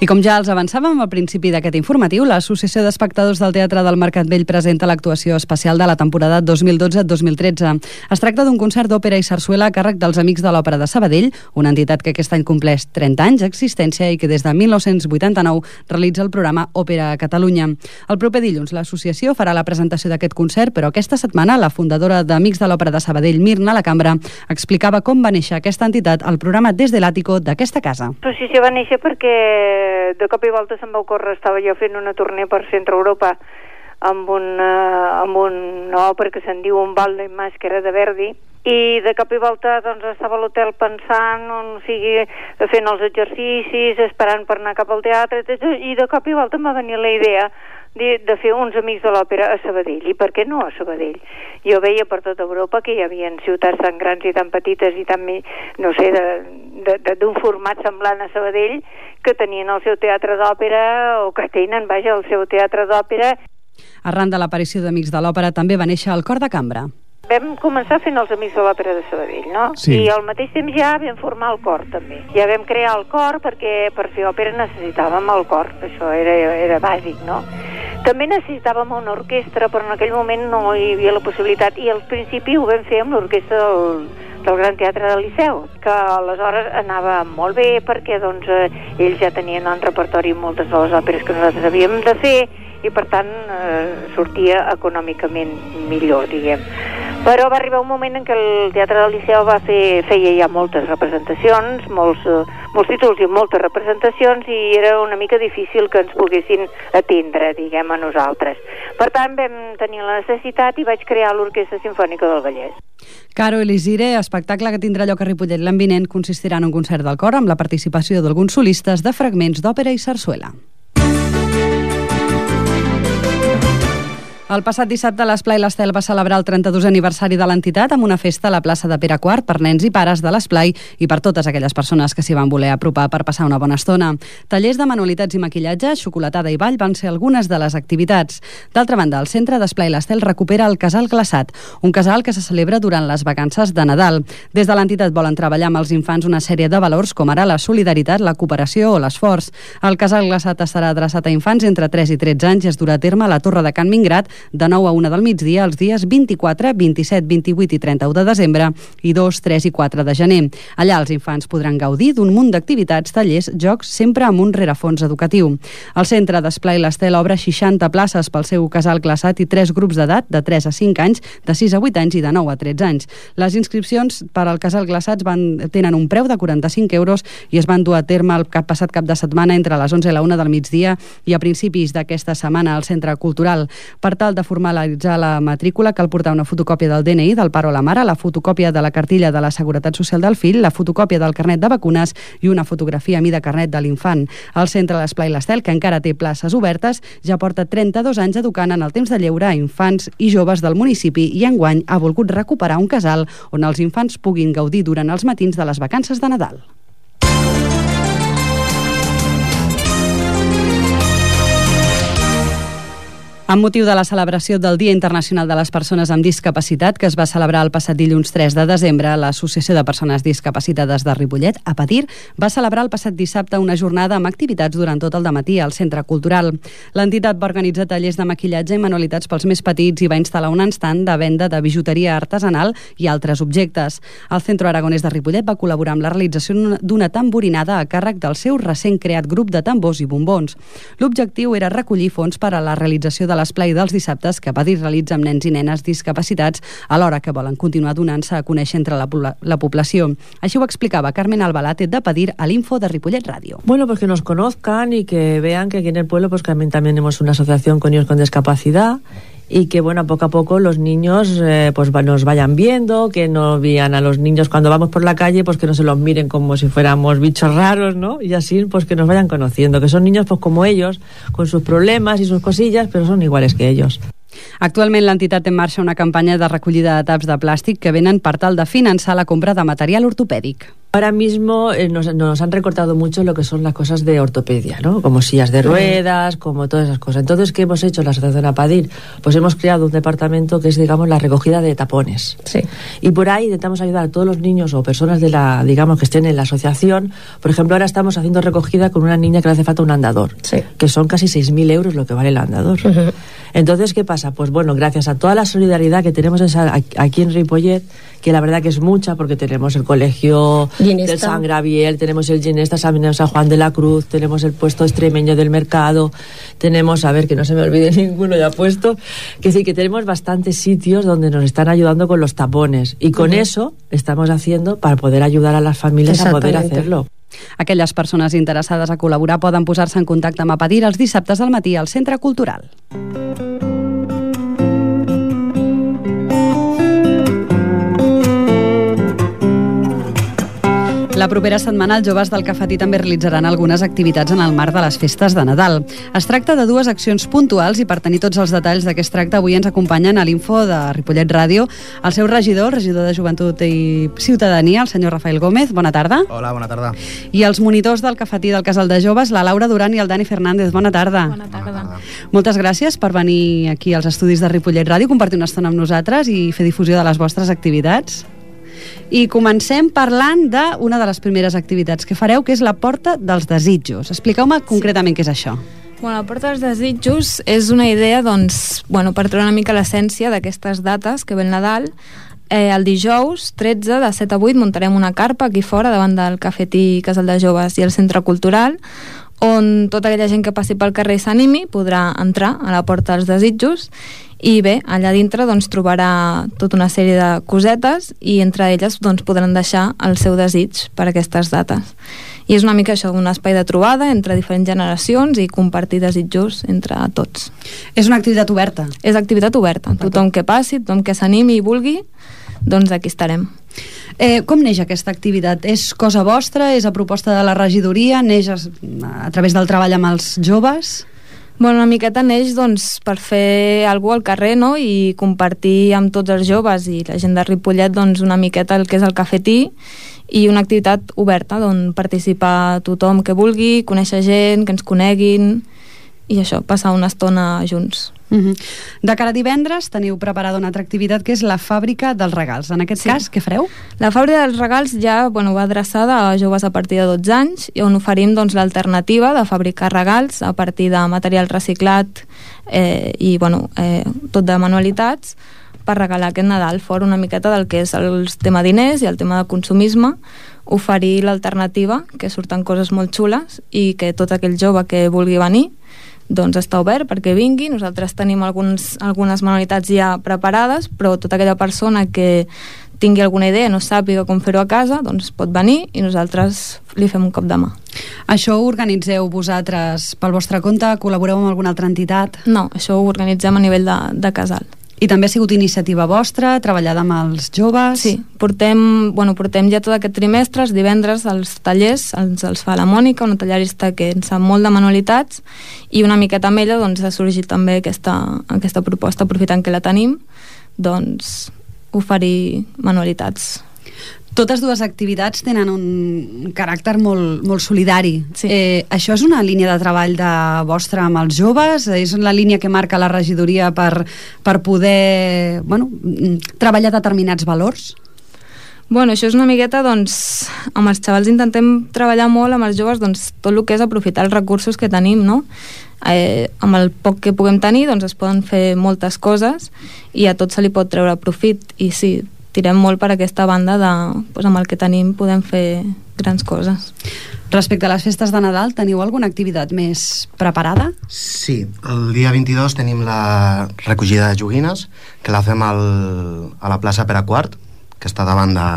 I com ja els avançàvem al principi d'aquest informatiu, l'Associació d'Espectadors del Teatre del Mercat Vell presenta l'actuació especial de la temporada dos mil dotze dos mil tretze. Es tracta d'un concert d'òpera i sarsuela a càrrec dels Amics de l'Òpera de Sabadell, una entitat que aquest any compleix trenta anys d'existència i que des de mil nou-cents vuitanta-nou realitza el programa Òpera a Catalunya. El proper dilluns l'associació farà la presentació d'aquest concert, però aquesta setmana la fundadora d'Amics de l'Òpera de Sabadell, Mirna Lacambra, explicava com va néixer aquesta entitat al programa Des de l'Àtico d'aquesta casa. L'associació va néixer perquè de cop i volta se'm va ocórrer, estava jo fent una tournée per Centre Europa amb una, amb una òpera que se'n diu Un ballo in maschera de Verdi, i de cop i volta doncs, estava a l'hotel pensant, on, o sigui, fent els exercicis, esperant per anar cap al teatre, i de cop i volta em va venir la idea de, de fer uns Amics de l'Òpera a Sabadell. I per què no a Sabadell? Jo veia per tota Europa que hi havia ciutats tan grans i tan petites i tan, no sé, d'un format semblant a Sabadell, que tenien el seu teatre d'òpera, o que tenen, vaja, el seu teatre d'òpera. Arran de l'aparició d'Amics de l'Òpera també va néixer el Cor de Cambra. Vam començar fent els Amics de l'Òpera de Sabadell, no? Sí. I al mateix temps ja vam formar el cor, també. Ja vam crear el cor perquè per fer òpera necessitàvem el cor, això era, era bàsic, no? També necessitàvem una orquestra, però en aquell moment no hi havia la possibilitat, i al principi ho vam fer amb l'orquestra del, del Gran Teatre del Liceu, que aleshores anava molt bé perquè doncs, eh, ells ja tenien en repertori moltes de les òperes que nosaltres havíem de fer, i per tant eh, sortia econòmicament millor, diguem. Però va arribar un moment en què el Teatre del Liceu va fer, feia ja moltes representacions, molts, eh, molts títols i moltes representacions, i era una mica difícil que ens poguessin atendre, diguem, a nosaltres. Per tant, vam tenir la necessitat i vaig crear l'Orquestra Simfònica del Vallès. Caro Elisire, espectacle que tindrà lloc a Ripollet l'any vinent, consistirà en un concert del cor amb la participació d'alguns solistes de fragments d'òpera i sarsuela. El passat dissabte l'Esplai l'Estel va celebrar el trenta-dosè aniversari de l'entitat amb una festa a la plaça de Pere quart per nens i pares de l'Esplai i per totes aquelles persones que s'hi van voler apropar per passar una bona estona. Tallers de manualitats i maquillatge, xocolatada i ball van ser algunes de les activitats. D'altra banda, el centre d'Esplai l'Estel recupera el Casal Glaçat, un casal que se celebra durant les vacances de Nadal. Des de l'entitat volen treballar amb els infants una sèrie de valors com ara la solidaritat, la cooperació o l'esforç. El Casal Glaçat estarà adreçat a infants entre tres i tretze anys i es durà a terme a la Torre de Can Mingrat de nou a una del migdia els dies vint-i-quatre, vint-i-set, vint-i-vuit i trenta-u de desembre i dos, tres i quatre de gener. Allà els infants podran gaudir d'un munt d'activitats, tallers, jocs, sempre amb un rerefons educatiu. El centre d'Esplai l'Estel obre seixanta places pel seu casal glaçat i tres grups d'edat de tres a cinc anys, de sis a vuit anys i de nou a tretze anys. Les inscripcions per al casal glaçats van, tenen un preu de quaranta-cinc euros i es van dur a terme el cap passat cap de setmana entre les onze i la una del migdia i a principis d'aquesta setmana al Centre Cultural. Per tal de formalitzar la matrícula cal portar una fotocòpia del D N I del pare o la mare, la fotocòpia de la cartilla de la Seguretat Social del fill, la fotocòpia del carnet de vacunes i una fotografia a mida carnet de l'infant. El centre l'Esplai l'Estel, que encara té places obertes, ja porta trenta-dos anys educant en el temps de lleure a infants i joves del municipi i enguany ha volgut recuperar un casal on els infants puguin gaudir durant els matins de les vacances de Nadal. Amb motiu de la celebració del Dia Internacional de les Persones amb Discapacitat, que es va celebrar el passat dilluns tres de desembre, l'Associació de Persones Discapacitades de Ripollet, APADIR, va celebrar el passat dissabte una jornada amb activitats durant tot el dematí al Centre Cultural. L'entitat va organitzar tallers de maquillatge i manualitats pels més petits i va instal·lar un estand de venda de bijuteria artesanal i altres objectes. El Centre Aragonès de Ripollet va col·laborar amb la realització d'una tamborinada a càrrec del seu recent creat grup de tambors i bombons. L'objectiu era recollir fons per a la realització de l'esplai dels dissabtes que APADIR realitza amb nens i nenes discapacitats, alhora que volen continuar donant-se a conèixer entre la, la població. Així ho explicava Carmen Albalate d'APADIR a l'Info de Ripollet Radio. Bueno, pues que nos conozcan y que vean que aquí en el pueblo pues también, también tenemos una asociación con niños con discapacidad y que bueno, poco a poco los niños eh, pues nos vayan viendo, que no vean a los niños cuando vamos por la calle, pues que no se los miren como si fuéramos bichos raros, ¿no? Y así pues que nos vayan conociendo, que son niños pues como ellos, con sus problemas y sus cosillas, pero son iguales que ellos. Actualment l'entitat té en marxa una campanya de recollida de taps de plàstic que venen per tal de finançar la compra de material ortopèdic. Ahora mismo eh, nos, nos han recortado mucho lo que son las cosas de ortopedia, ¿no? Como sillas de ruedas, como todas esas cosas. Entonces, ¿qué hemos hecho en la Asociación APADIR? Pues hemos creado un departamento que es, digamos, la recogida de tapones. Sí. Y por ahí intentamos ayudar a todos los niños o personas de la, digamos, que estén en la asociación. Por ejemplo, ahora estamos haciendo recogida con una niña que le hace falta un andador, sí, que son casi seis mil euros lo que vale el andador. Uh-huh. Entonces, ¿qué pasa? Pues bueno, gracias a toda la solidaridad que tenemos esa, aquí en Ripollet, que la verdad que es mucha, porque tenemos el colegio Ginesta del San Gabriel, tenemos el Ginesta San Juan de la Cruz, tenemos el puesto extremeño del mercado, tenemos, a ver, que no se me olvide ninguno ya puesto, que sí, que tenemos bastantes sitios donde nos están ayudando con los tapones, y con uh-huh. eso estamos haciendo para poder ayudar a las familias a poder hacerlo. Aquelles persones interessades a col·laborar poden posar-se en contacte amb APADIR els dissabtes al matí al Centre Cultural. La propera setmana els joves del Cafetí també realitzaran algunes activitats en el marc de les festes de Nadal. Es tracta de dues accions puntuals i per tenir tots els detalls de què es tracta avui ens acompanyen a l'Info de Ripollet Ràdio el seu regidor, el regidor de Joventut i Ciutadania, el senyor Rafael Gómez. Bona tarda. Hola, bona tarda. I els monitors del Cafetí del Casal de Joves, la Laura Duran i el Dani Fernández. Bona tarda. Bona tarda. Bona tarda. Moltes gràcies per venir aquí als estudis de Ripollet Ràdio, compartir una estona amb nosaltres i fer difusió de les vostres activitats. I comencem parlant d'una de les primeres activitats que fareu, que és la Porta dels Desitjos. Expliqueu-me concretament què és això. Bueno, la Porta dels Desitjos és una idea, doncs, bueno, per treure una mica l'essència d'aquestes dates que ve el Nadal. Eh, el dijous tretze de set a vuit muntarem una carpa aquí fora davant del Cafetí Casal de Joves i el Centre Cultural, on tota aquella gent que passi pel carrer i s'animi podrà entrar a la Porta dels Desitjos. I bé, allà dintre doncs, trobarà tota una sèrie de cosetes i entre elles doncs, podran deixar el seu desig per aquestes dates. I és una mica això, un espai de trobada entre diferents generacions i compartir desitjos entre tots. És una activitat oberta? És activitat oberta. Tothom que passi, tothom que s'animi i vulgui, doncs aquí estarem. Eh, com neix aquesta activitat? És cosa vostra? És a proposta de la regidoria? Neix a, a través del treball amb els joves? Bueno, una miqueta neix doncs, per fer alguna cosa al carrer, no? I compartir amb tots els joves i la gent de Ripollet doncs, una miqueta el que és el Cafetí i una activitat oberta d'on participa tothom que vulgui, conèixer gent, que ens coneguin i això, passar una estona junts. Uh-huh. De cara a divendres teniu preparada una altra activitat que és la Fàbrica dels Regals. En aquest sí. cas, què fareu? La Fàbrica dels Regals ja bueno, va adreçada a joves a partir de dotze anys i on oferim doncs, l'alternativa de fabricar regals a partir de material reciclat eh, i bueno, eh, tot de manualitats per regalar aquest Nadal, fora una miqueta del que és el tema diners i el tema de consumisme, oferir l'alternativa, que surten coses molt xules i que tot aquell jove que vulgui venir doncs està obert perquè vingui. Nosaltres tenim alguns, algunes manualitats ja preparades, però tota aquella persona que tingui alguna idea, no sàpiga com fer-ho a casa, doncs pot venir i nosaltres li fem un cop de mà. Això ho organitzeu vosaltres pel vostre compte? Col·laboreu amb alguna altra entitat? No, això ho organitzem a nivell de, de casal. I també ha sigut iniciativa vostra, treballada amb els joves? Sí, portem, bueno, portem ja tot aquest trimestre, els divendres, els tallers, els, els fa la Mònica, una tallerista que en sap molt de manualitats, i una miqueta amb ella doncs, ha sorgit també aquesta, aquesta proposta, aprofitant que la tenim, doncs oferir manualitats. Totes dues activitats tenen un caràcter molt, molt solidari. Sí. Eh, això és una línia de treball de vostra amb els joves? És la línia que marca la regidoria per, per poder bueno, treballar determinats valors? Bueno, això és una miqueta, doncs, amb els xavals intentem treballar molt amb els joves, doncs, tot el que és aprofitar els recursos que tenim, no? Eh, amb el poc que puguem tenir, doncs, es poden fer moltes coses i a tot se li pot treure profit. I sí, tirem molt per aquesta banda de, doncs, amb el que tenim podem fer grans coses. Respecte a les festes de Nadal, teniu alguna activitat més preparada? Sí, el dia vint-i-dos tenim la recollida de joguines, que la fem al, a la plaça Pere Quart, que està davant de,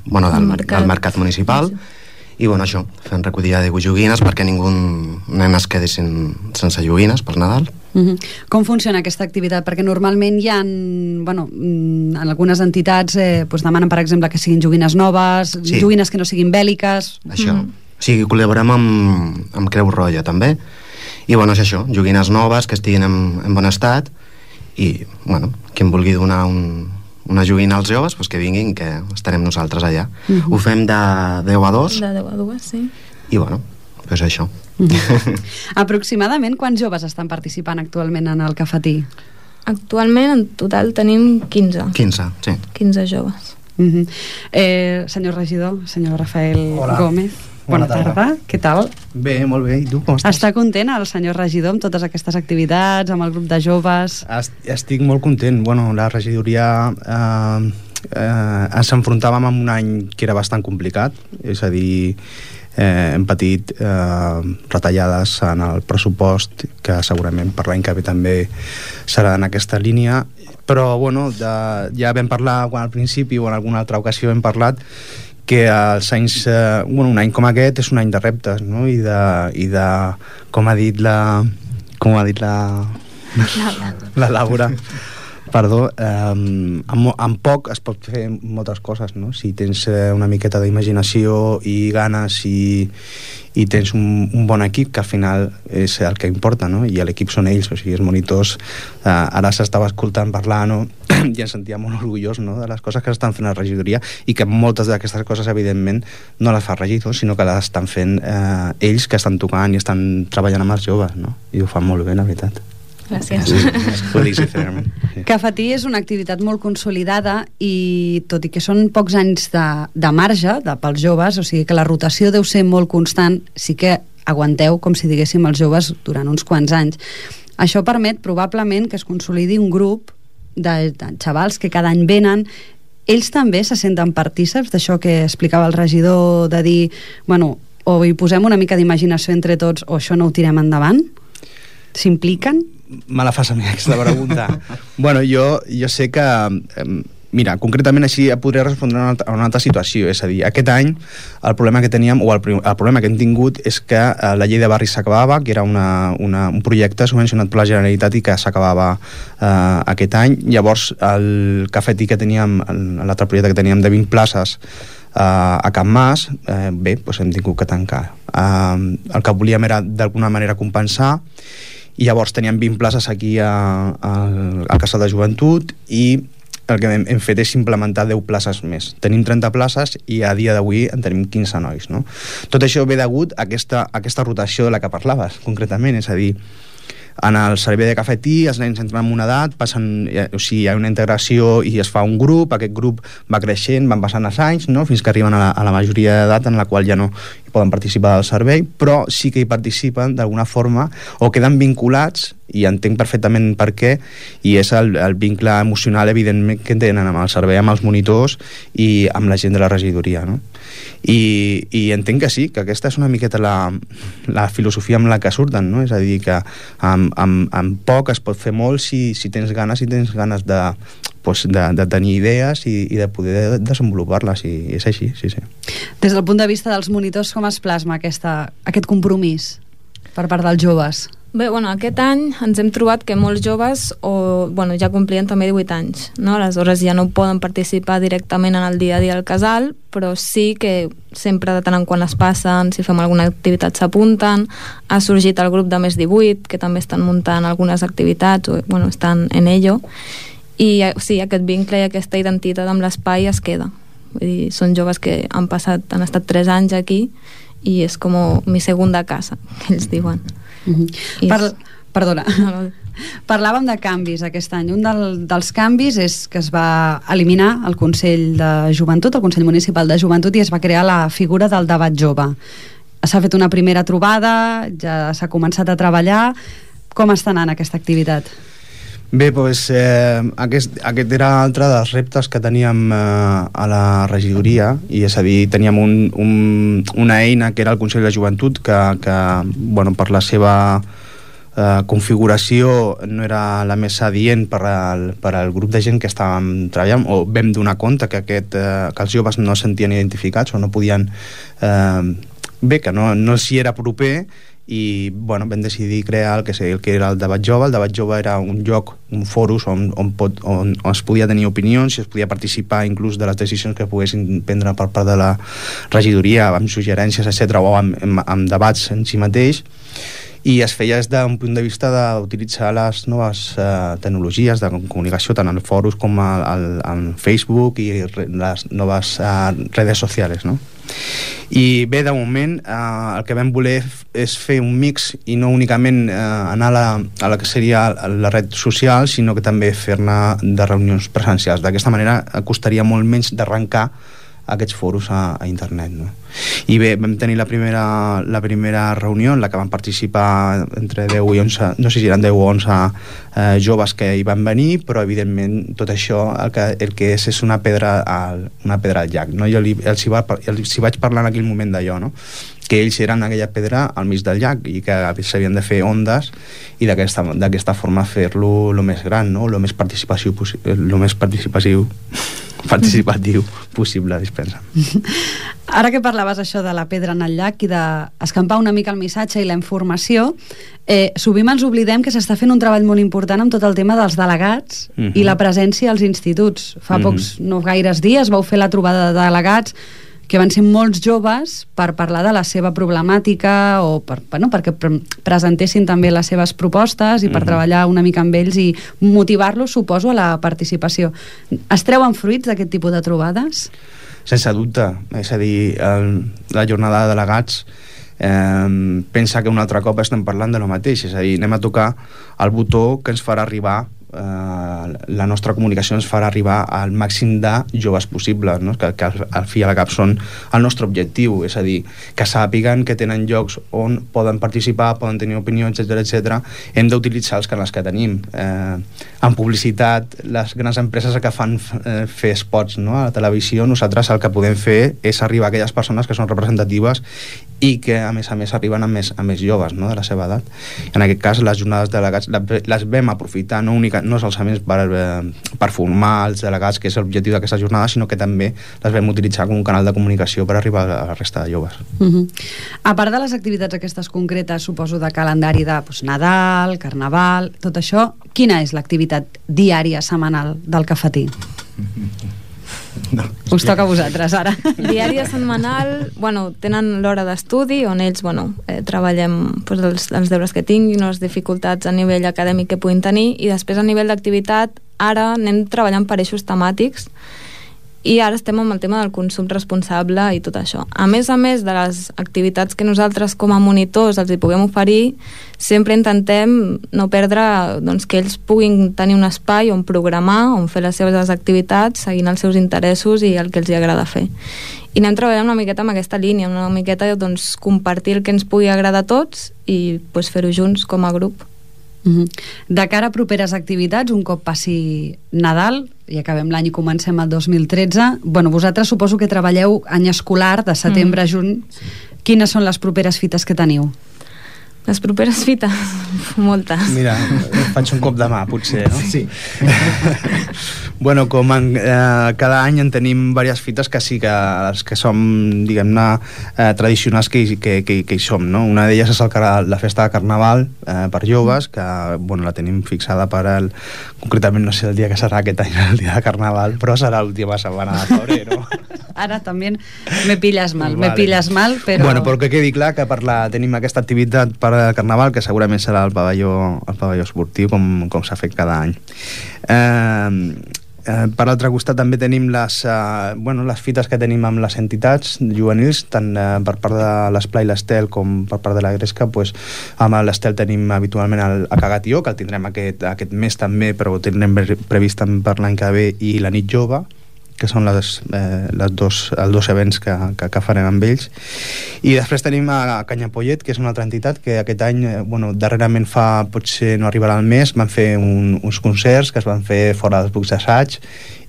bueno, del, mercat. del mercat municipal. Sí. I bueno, això, fem recollida de joguines perquè ningú nen es quedi sen, sense joguines per Nadal. Uh-huh. Com funciona aquesta activitat? Perquè normalment hi ha, bueno, en algunes entitats eh, doncs demanen, per exemple, que siguin joguines noves, sí. joguines que no siguin bèl·liques. Això, uh-huh. o sigui, col·laborem amb, amb Creu Roja també, i bueno, és això, joguines noves que estiguin en, en bon estat, i bueno, qui em vulgui donar un, una joguina als joves, doncs que vinguin, que estarem nosaltres allà. Uh-huh. Ho fem de deu a dos. De deu a dos, sí. I bueno, doncs això. Uh-huh. Aproximadament quants joves estan participant actualment en el cafetí? Actualment en total tenim quinze. quinze, sí. quinze joves. Uh-huh. eh, senyor regidor, senyor Rafael Hola. Gómez, bona, bona tarda. tarda, què tal? Bé, molt bé, i tu com estàs? Està content el senyor regidor amb totes aquestes activitats, amb el grup de joves? Estic molt content. Bueno, la regidoria eh, eh, ens enfrontàvem amb un any que era bastant complicat, és a dir, eh, hem patit eh, retallades en el pressupost, que segurament per l'any que ve també serà en aquesta línia, però bueno, de, ja vam parlar quan al principi o en alguna altra ocasió hem parlat que els anys, eh, bueno, un any com aquest és un any de reptes, no? I de, i de com ha dit la com ha dit la la, la Laura, perdó, eh, amb, amb poc es pot fer moltes coses, no? Si tens eh, una miqueta d'imaginació i ganes i, i tens un, un bon equip, que al final és el que importa, no? I l'equip són ells, o sigui, els monitors, eh, ara s'estava escoltant parlar, no? I ens sentia molt orgullós, no? De les coses que estan fent a la regidoria, i que moltes d'aquestes coses evidentment no les fa el regidor, sinó que les estan fent eh, ells, que estan tocant i estan treballant amb els joves, no? I ho fan molt bé, la veritat. Gràcies. Sí. Cafetí és una activitat molt consolidada i tot i que són pocs anys de, de marge de, pels joves, o sigui que la rotació deu ser molt constant, sí que aguanteu, com si diguéssim, els joves durant uns quants anys. Això permet probablement que es consolidi un grup de, de xavals que cada any venen. Ells també se senten partíceps d'això que explicava el regidor, de dir, bueno, o hi posem una mica d'imaginació entre tots o això no ho tirem endavant? S'impliquen? Me la fas a mi aquesta pregunta. Bueno, jo, jo sé que eh, mira, concretament així podria respondre a una, altra, a una altra situació, és a dir, aquest any el problema que teníem, o el, el problema que hem tingut és que eh, la llei de barris s'acabava, que era una, una, un projecte subvencionat per la Generalitat i que s'acabava eh, aquest any. Llavors el cafetí que teníem, l'altre projecte que teníem de vint places eh, a Can Mas, eh, bé, doncs hem tingut que tancar. Eh, el que volíem era d'alguna manera compensar, i llavors teníem vint places aquí a, a, al Casal de Joventut, i el que hem, hem fet és implementar deu places més. Tenim trenta places i a dia d'avui en tenim quinze nois, no? Tot això ve degut a aquesta, a aquesta rotació de la que parlaves, concretament, és a dir, en el servei de cafetí els nens entren en una edat, passen, o sigui, hi ha una integració i es fa un grup, aquest grup va creixent, van passant els anys, no? Fins que arriben a la, a la majoria d'edat en la qual ja no hi poden participar del servei, però sí que hi participen d'alguna forma o queden vinculats, i entenc perfectament per què, i és el, el vincle emocional evidentment que tenen amb el servei, amb els monitors i amb la gent de la regidoria, no? I, i entenc que sí, que aquesta és una miqueta la, la filosofia amb la que surten, no? És a dir, que amb, amb, amb poc es pot fer molt si, si tens ganes, si tens ganes de, pues, de, de tenir idees i, i de poder desenvolupar-les, i és així, sí, sí. Des del punt de vista dels monitors, com es plasma aquesta, aquest compromís per part dels joves? Bé, bueno, aquest any ens hem trobat que molts joves o, bueno, ja complien també divuit anys, no? Aleshores ja no poden participar directament en el dia a dia al casal, però sí que sempre de tant en quan es passen, si fem alguna activitat s'apunten. Ha sorgit el grup de més divuit, que també estan muntant algunes activitats, o, bueno, estan en ello, i sí, aquest vincle i aquesta identitat amb l'espai es queda. Vull dir, són joves que han passat, han estat tres anys aquí i és com mi segunda casa, que ells diuen. Mm-hmm. Per, perdona. No, no. Parlàvem de canvis aquest any. Un del, dels canvis és que es va eliminar el Consell de Joventut, el Consell Municipal de Joventut, i es va crear la figura del debat jove. S'ha fet una primera trobada, ja s'ha començat a treballar. Com està anant aquesta activitat? Bé, doncs eh, aquest, aquest era altre dels reptes que teníem eh, a la regidoria, i és a dir, teníem un, un, una eina que era el Consell de Joventut que, que bueno, per la seva eh, configuració no era la més adient per al, per al grup de gent que estàvem treballant, o vam donar compte que, aquest, eh, que els joves no es sentien identificats o no podien... Eh, bé, que no, no s'hi era proper, i bueno, vam decidir crear el que, el que era el debat jove. El debat jove era un lloc, un fòrum on, on, pot, on, on es podia tenir opinions, i es podia participar inclús de les decisions que poguessin prendre per part de la regidoria, amb suggerències, etcètera, o amb, amb, amb debats en si mateix. I es feia des d'un punt de vista d'utilitzar les noves eh, tecnologies de comunicació, tant en fòrums com al, al, en Facebook i les noves eh, redes socials, no? I bé, de moment eh, el que vam voler és fer un mix i no únicament eh, anar a la, a la que seria la red social, sinó que també fer-ne de reunions presencials. D'aquesta manera costaria molt menys d'arrencar aquests fòrums a, a internet, no? I bé, vam tenir la primera, la primera reunió en la que van participar entre deu i onze, no sé si eren deu o onze eh, joves que hi van venir, però evidentment tot això el que, el que és és una pedra al, una pedra al llac, no? Jo li, els, hi va, els hi vaig parlar en aquell moment d'allò, no? Que ells eren aquella pedra al mig del llac i que s'havien de fer ondes i d'aquesta, d'aquesta forma fer-lo lo més gran, no? Lo més participatiu, lo més participatiu participatiu possible, dispensa. Ara que parlaves això de la pedra en el llac i d'escampar una mica el missatge i la informació, eh, sovint ens oblidem que s'està fent un treball molt important amb tot el tema dels delegats uh-huh. i la presència als instituts. Fa uh-huh. pocs, no gaires dies, vau fer la trobada de delegats que van ser molts joves per parlar de la seva problemàtica o per, bueno, perquè pre presentessin també les seves propostes i per uh-huh. treballar una mica amb ells i motivar-los, suposo, a la participació. Es treuen fruits d'aquest tipus de trobades? Sense dubte. És a dir, el, la jornada de delegats eh, pensa que un altre cop estem parlant de lo mateix, és a dir, anem a tocar el botó que ens farà arribar Uh, la nostra comunicació ens farà arribar al màxim de joves possibles, no? que, que al, al fi i al cap són el nostre objectiu, és a dir, que sàpiguen que tenen llocs on poden participar, poden tenir opinions, etcètera, etcètera. Hem d'utilitzar els canals que tenim. Eh, en publicitat, les grans empreses que fan eh, fer spots, no? A la televisió, nosaltres el que podem fer és arribar a aquelles persones que són representatives i que a més a més arriben a més, a més joves, no? De la seva edat. En aquest cas les jornades de delegats les vam aprofitar no, única, no solament per, eh, per formar els delegats, que és l'objectiu d'aquesta jornada, sinó que també les vam utilitzar com un canal de comunicació per arribar a la resta de joves. Uh-huh. A part de les activitats aquestes concretes, suposo de calendari de doncs, Nadal, Carnaval, tot això, quina és l'activitat diària, setmanal del cafetí? No, us toca a vosaltres ara. Diària, setmanal, bueno, tenen l'hora d'estudi on ells, bueno, eh, treballem pues, els, els deures que tinguin, les dificultats a nivell acadèmic que puguin tenir, i després a nivell d'activitat ara anem treballant per eixos temàtics i ara estem amb el tema del consum responsable i tot això. A més a més de les activitats que nosaltres com a monitors els hi puguem oferir, sempre intentem no perdre doncs, que ells puguin tenir un espai on programar, on fer les seves activitats seguint els seus interessos i el que els hi agrada fer. I anem treballant una miqueta amb aquesta línia, una miqueta doncs, compartir el que ens pugui agradar a tots i pues, fer-ho junts com a grup. Uh-huh. De cara a properes activitats, un cop passi Nadal i acabem l'any i comencem el dos mil tretze, bueno, vosaltres suposo que treballeu any escolar de setembre a juny. Quines són les properes fites que teniu? Les properes fites? Moltes. Mira, faig un cop de mà, potser, no? Sí. Bueno, com en, eh, cada any en tenim diverses fites que sí que les que som, diguem-ne, eh, tradicionals que, que, que, que hi som, no? Una d'elles és el, la festa de Carnaval eh, per joves, que bueno, la tenim fixada per el... Concretament no sé el dia que serà aquest any, el dia de Carnaval, però serà l'última setmana de febrer, no? Ara també me pilles mal, vale. me pilles mal, però... Bueno, però que quedi clar que per la, tenim aquesta activitat per Carnaval, que segurament serà el pavelló, el pavelló esportiu, com, com s'ha fet cada any. Eh, Eh, per l'altre costat també tenim les, eh, bueno, les fites que tenim amb les entitats juvenils, tant eh, per part de l'Esplai i l'Estel com per part de la Gresca. Pues, amb l'Estel tenim habitualment el Acagatió, que el tindrem aquest, aquest mes també, però ho tindrem previst per l'any que ve, i la Nit Jove, que són les, eh, les dos, els dos events que, que, que farem amb ells. I després tenim a Canyapollet, que és una altra entitat que aquest any, eh, bueno, darrerament fa, potser no arribarà al mes, van fer un, uns concerts que es van fer fora dels bucs d'assaig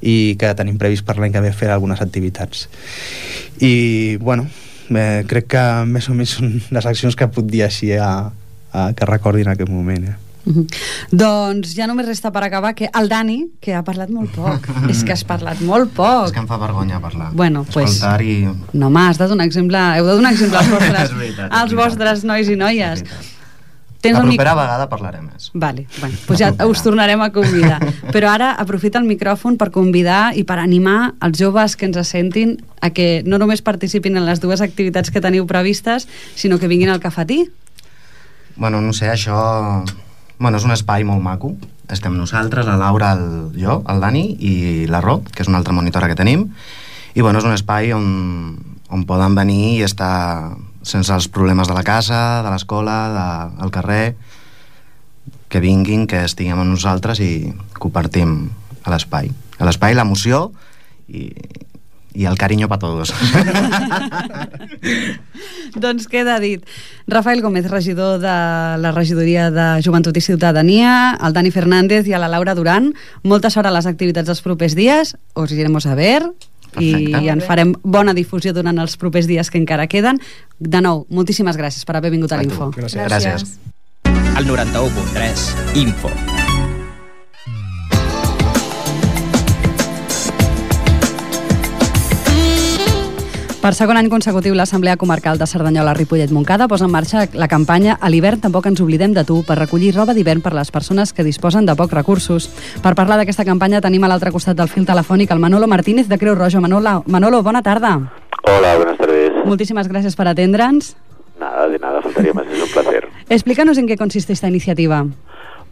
i que tenim previst per l'any que ve fer algunes activitats. I, bueno, eh, crec que més o menys són les accions que puc dir així a, a, que recordi en aquest moment, eh? Uh-huh. Doncs ja només resta per acabar que el Dani, que ha parlat molt poc. És que has parlat molt poc. És que em fa vergonya parlar. Bueno, pues, escoltar i... No, home, has de donar exemple, heu de donar exemple als vostres, veritat, als vostres nois i noies. Tens la un propera mic... vegada parlarem més. Vale, bueno, pues ja us tornarem a convidar. Però ara aprofita el micròfon per convidar i per animar els joves que ens sentin a que no només participin en les dues activitats que teniu previstes, sinó que vinguin al Cafetí. Bueno, no sé, això... Bueno, és un espai molt maco. Estem nosaltres, la Laura, el, jo, el Dani i la Ro, que és una altra monitora que tenim. I bueno, és un espai on, on poden venir i estar sense els problemes de la casa, de l'escola, de, del carrer, que vinguin, que estiguem amb nosaltres i compartim a l'espai. A l'espai, l'emoció i, i el carinyo per tots. Doncs queda dit. Rafael Gómez, regidor de la regidoria de Joventut i Ciutadania, el Dani Fernández i a la Laura Duran, molta sort a les activitats dels propers dies, os iremos a ver. Perfecte. I en farem bona difusió durant els propers dies que encara queden. De nou, moltíssimes gràcies per haver vingut a l'Info. Gràcies. Gràcies. El noranta-u punt tres, Info. Per segon any consecutiu, l'Assemblea Comarcal de Cerdanyola-Ripollet-Montcada posa en marxa la campanya A l'hivern tampoc ens oblidem de tu, per recollir roba d'hivern per les persones que disposen de pocs recursos. Per parlar d'aquesta campanya tenim a l'altre costat del fil telefònic el Manolo Martínez de Creu Roja. Manolo, Manolo, bona tarda. Hola, buenas tardes. Moltíssimas gracias por atendre'ns. Nada, de nada, faltaría más, es un placer. Explícanos en qué consiste esta iniciativa.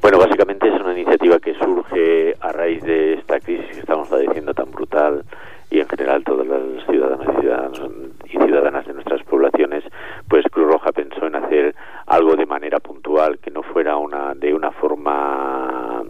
Bueno, básicamente es una iniciativa que surge a raíz de esta crisis que estamos padeciendo tan brutal y en general todas las ciudadanas y ciudadanos y ciudadanas de nuestras poblaciones, pues Cruz Roja pensó en hacer algo de manera puntual, que no fuera una de una forma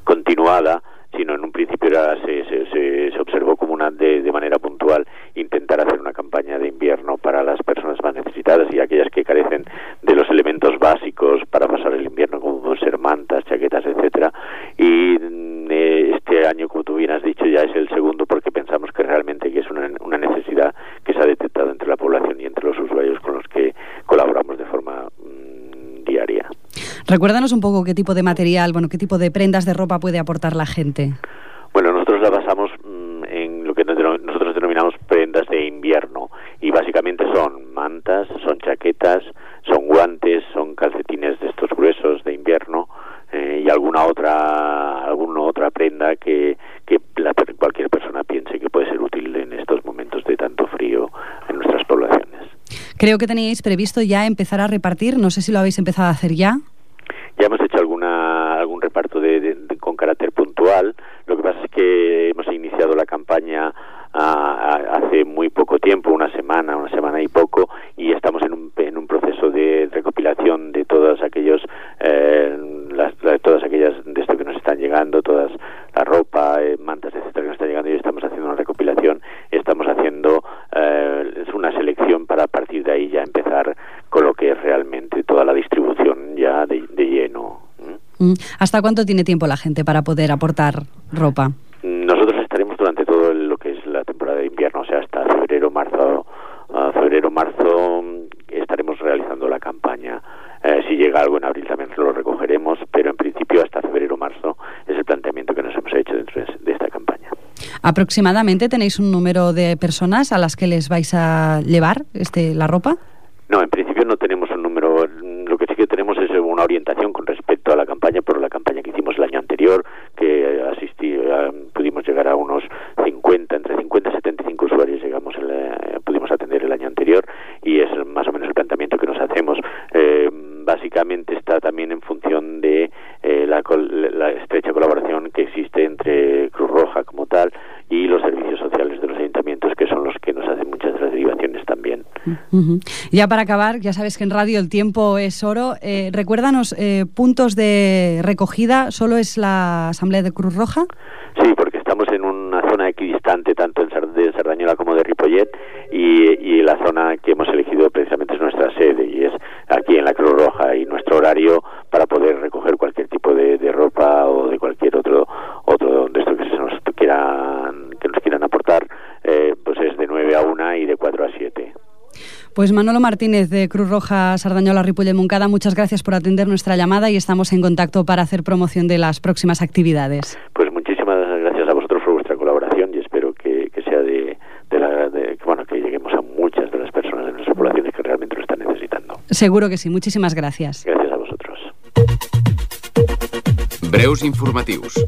continuada, sino en un principio era, se, se, se, se observó como una de, de manera puntual intentar hacer una campaña de invierno para las personas más necesitadas y aquellas que carecen de los elementos básicos para pasar el invierno, como pueden ser mantas, chaquetas, etcétera. Y eh, este año, como tú bien has dicho, ya es el segundo porque pensamos que realmente que es una, una necesidad que se ha detectado entre la población y entre los usuarios con los que colaboramos de forma mmm, diaria. Recuérdanos un poco qué tipo de material, bueno, qué tipo de prendas de ropa puede aportar la gente. Bueno, nosotros la basamos mmm, en lo que nosotros denominamos prendas de invierno y básicamente son mantas, son chaquetas, son guantes, son calcetines de estos gruesos de invierno eh, y alguna otra alguna otra prenda que, que la, cualquier persona piense que puede ser útil en estos momentos de tanto frío en nuestras poblaciones. Creo que teníais previsto ya empezar a repartir, no sé si lo habéis empezado a hacer ya. Ya hemos hecho alguna algún reparto de, de, de, con carácter puntual. Lo que pasa es que hemos iniciado la campaña a, a, hace muy poco tiempo, una semana, una semana y poco, y estamos en un, en un proceso de recopilación de todas aquellos eh, las, de todas aquellas de esto que nos están llegando, todas la ropa, eh, mantas, etcétera, que nos están llegando, y estamos haciendo una recopilación, estamos haciendo eh, es una selección para a partir de ahí ya empezar con lo que es realmente toda la distribución ya de, de lleno. ¿Mm? ¿Hasta cuánto tiene tiempo la gente para poder aportar ropa? Nosotros estaremos durante todo lo que es la temporada de invierno, o sea, hasta febrero, marzo, uh, febrero, marzo estaremos realizando la campaña. Eh, si llega algo en abril también lo recogeremos, pero en principio hasta febrero, marzo es el planteamiento que nos hemos hecho dentro de esta campaña. ¿Aproximadamente tenéis un número de personas a las que les vais a llevar este, la ropa? No, en principio no tenemos un número. Lo que sí que tenemos es una orientación con respecto a la campaña, por la campaña que hicimos el año anterior, que asistí, pudimos llegar a unos cincuenta, entre cincuenta y setenta y cinco usuarios llegamos el, pudimos atender el año anterior, y es más o menos el planteamiento que nos hacemos. Eh, básicamente está también en función de eh, la, la estrecha colaboración que existe entre Cruz Roja como tal Uh-huh. Ya para acabar, ya sabes que en radio el tiempo es oro. Eh, recuérdanos, eh, puntos de recogida, ¿solo es la Asamblea de Cruz Roja? Sí, porque estamos en una zona equidistante tanto en Sar- de Cerdanyola como de Ripollet y, y la zona que hemos elegido precisamente es nuestra sede y es aquí en la Cruz Roja, y nuestro horario para poder recoger cualquier tipo de, de ropa o de cualquier otro otro de esto que se nos quieran que nos quieran aportar, eh, pues es de nueve a una y de cuatro a siete. Pues Manolo Martínez de Cruz Roja Sardañola Ripollet Moncada, muchas gracias por atender nuestra llamada y estamos en contacto para hacer promoción de las próximas actividades. Pues muchísimas gracias a vosotros por vuestra colaboración y espero que, que sea de, de la de, bueno, que lleguemos a muchas de las personas de nuestra población que realmente lo están necesitando. Seguro que sí, muchísimas gracias. Gràcies a vosaltres. Breus informatius.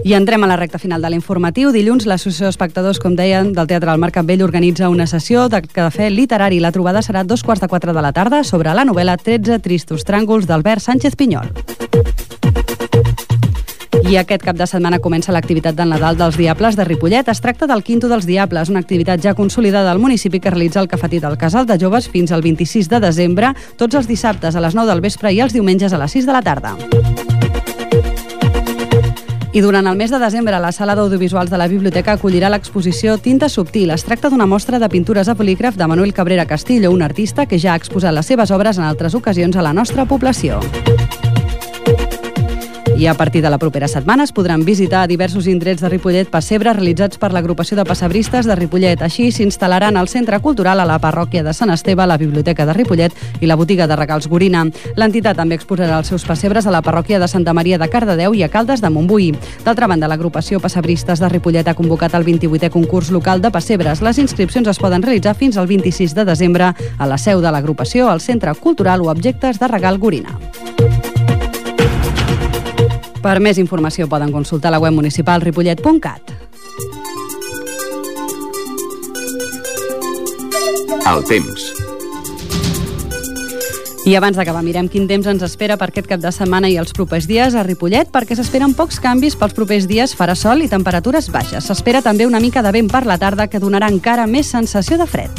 I entrem a la recta final de l'informatiu. Dilluns, l'Associació d'Espectadors, com deien, del Teatre del Mercat Vell organitza una sessió de cafè literari. La trobada serà a dos quarts de quatre de la tarda sobre la novel·la tretze tristos tràngols d'Albert Sánchez Pinyol. I aquest cap de setmana comença l'activitat del Nadal dels Diables de Ripollet. Es tracta del Quinto dels Diables, una activitat ja consolidada al municipi que realitza el Cafetí del Casal de Joves fins al vint-i-sis de desembre, tots els dissabtes a les nou del vespre i els diumenges a les sis de la tarda. I durant el mes de desembre, la Sala d'Audiovisuals de la Biblioteca acollirà l'exposició Tinta Subtil. Es tracta d'una mostra de pintures a bolígraf de Manuel Cabrera Castillo, un artista que ja ha exposat les seves obres en altres ocasions a la nostra població. I a partir de la propera setmana es podran visitar diversos indrets de Ripollet pessebres realitzats per l'agrupació de pessebristes de Ripollet. Així s'instal·laran al Centre Cultural, a la parròquia de Sant Esteve, la Biblioteca de Ripollet i la botiga de regals Gorina. L'entitat també exposarà els seus pessebres a la parròquia de Santa Maria de Cardedeu i a Caldes de Montbui. D'altra banda, l'agrupació Pessebristes de Ripollet ha convocat el vint-i-vuitè concurs local de pessebres. Les inscripcions es poden realitzar fins al vint-i-sis de desembre a la seu de l'agrupació, al Centre Cultural o Objectes de Regal Gorina. Per més informació poden consultar la web municipal ripollet punt cat. El temps. I abans d'acabar, mirem quin temps ens espera per aquest cap de setmana i els propers dies a Ripollet, perquè s'esperen pocs canvis pels propers dies, farà sol i temperatures baixes. S'espera també una mica de vent per la tarda que donarà encara més sensació de fred.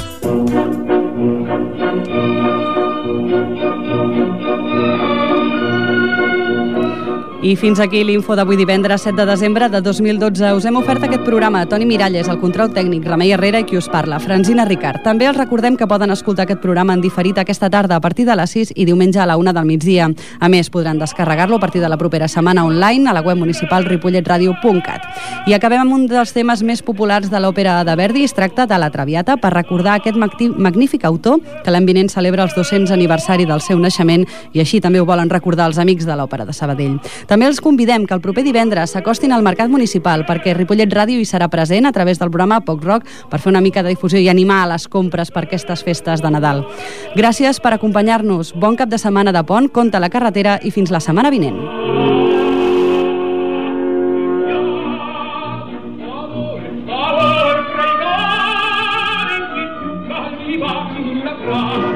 I fins aquí l'info d'avui divendres set de desembre de dos mil dotze. Us hem ofert aquest programa Toni Miralles, el control tècnic, Remei Herrera i qui us parla, Francina Ricard. També els recordem que poden escoltar aquest programa en diferit aquesta tarda a partir de les sis i diumenge a la una del migdia. A més, podran descarregar-lo a partir de la propera setmana online a la web municipal ripollet ràdio punt cat. I acabem amb un dels temes més populars de l'òpera de Verdi. Es tracta de La Traviata, per recordar aquest magnífic autor que l'any vinent celebra els dos-cents aniversari del seu naixement i així també ho volen recordar els amics de l'Òpera de Sabadell. També els convidem que el proper divendres s'acostin al Mercat Municipal perquè Ripollet Ràdio hi serà present a través del programa Poc Rock per fer una mica de difusió i animar a les compres per aquestes festes de Nadal. Gràcies per acompanyar-nos. Bon cap de setmana de pont, compte a la carretera i fins la setmana vinent. Wow.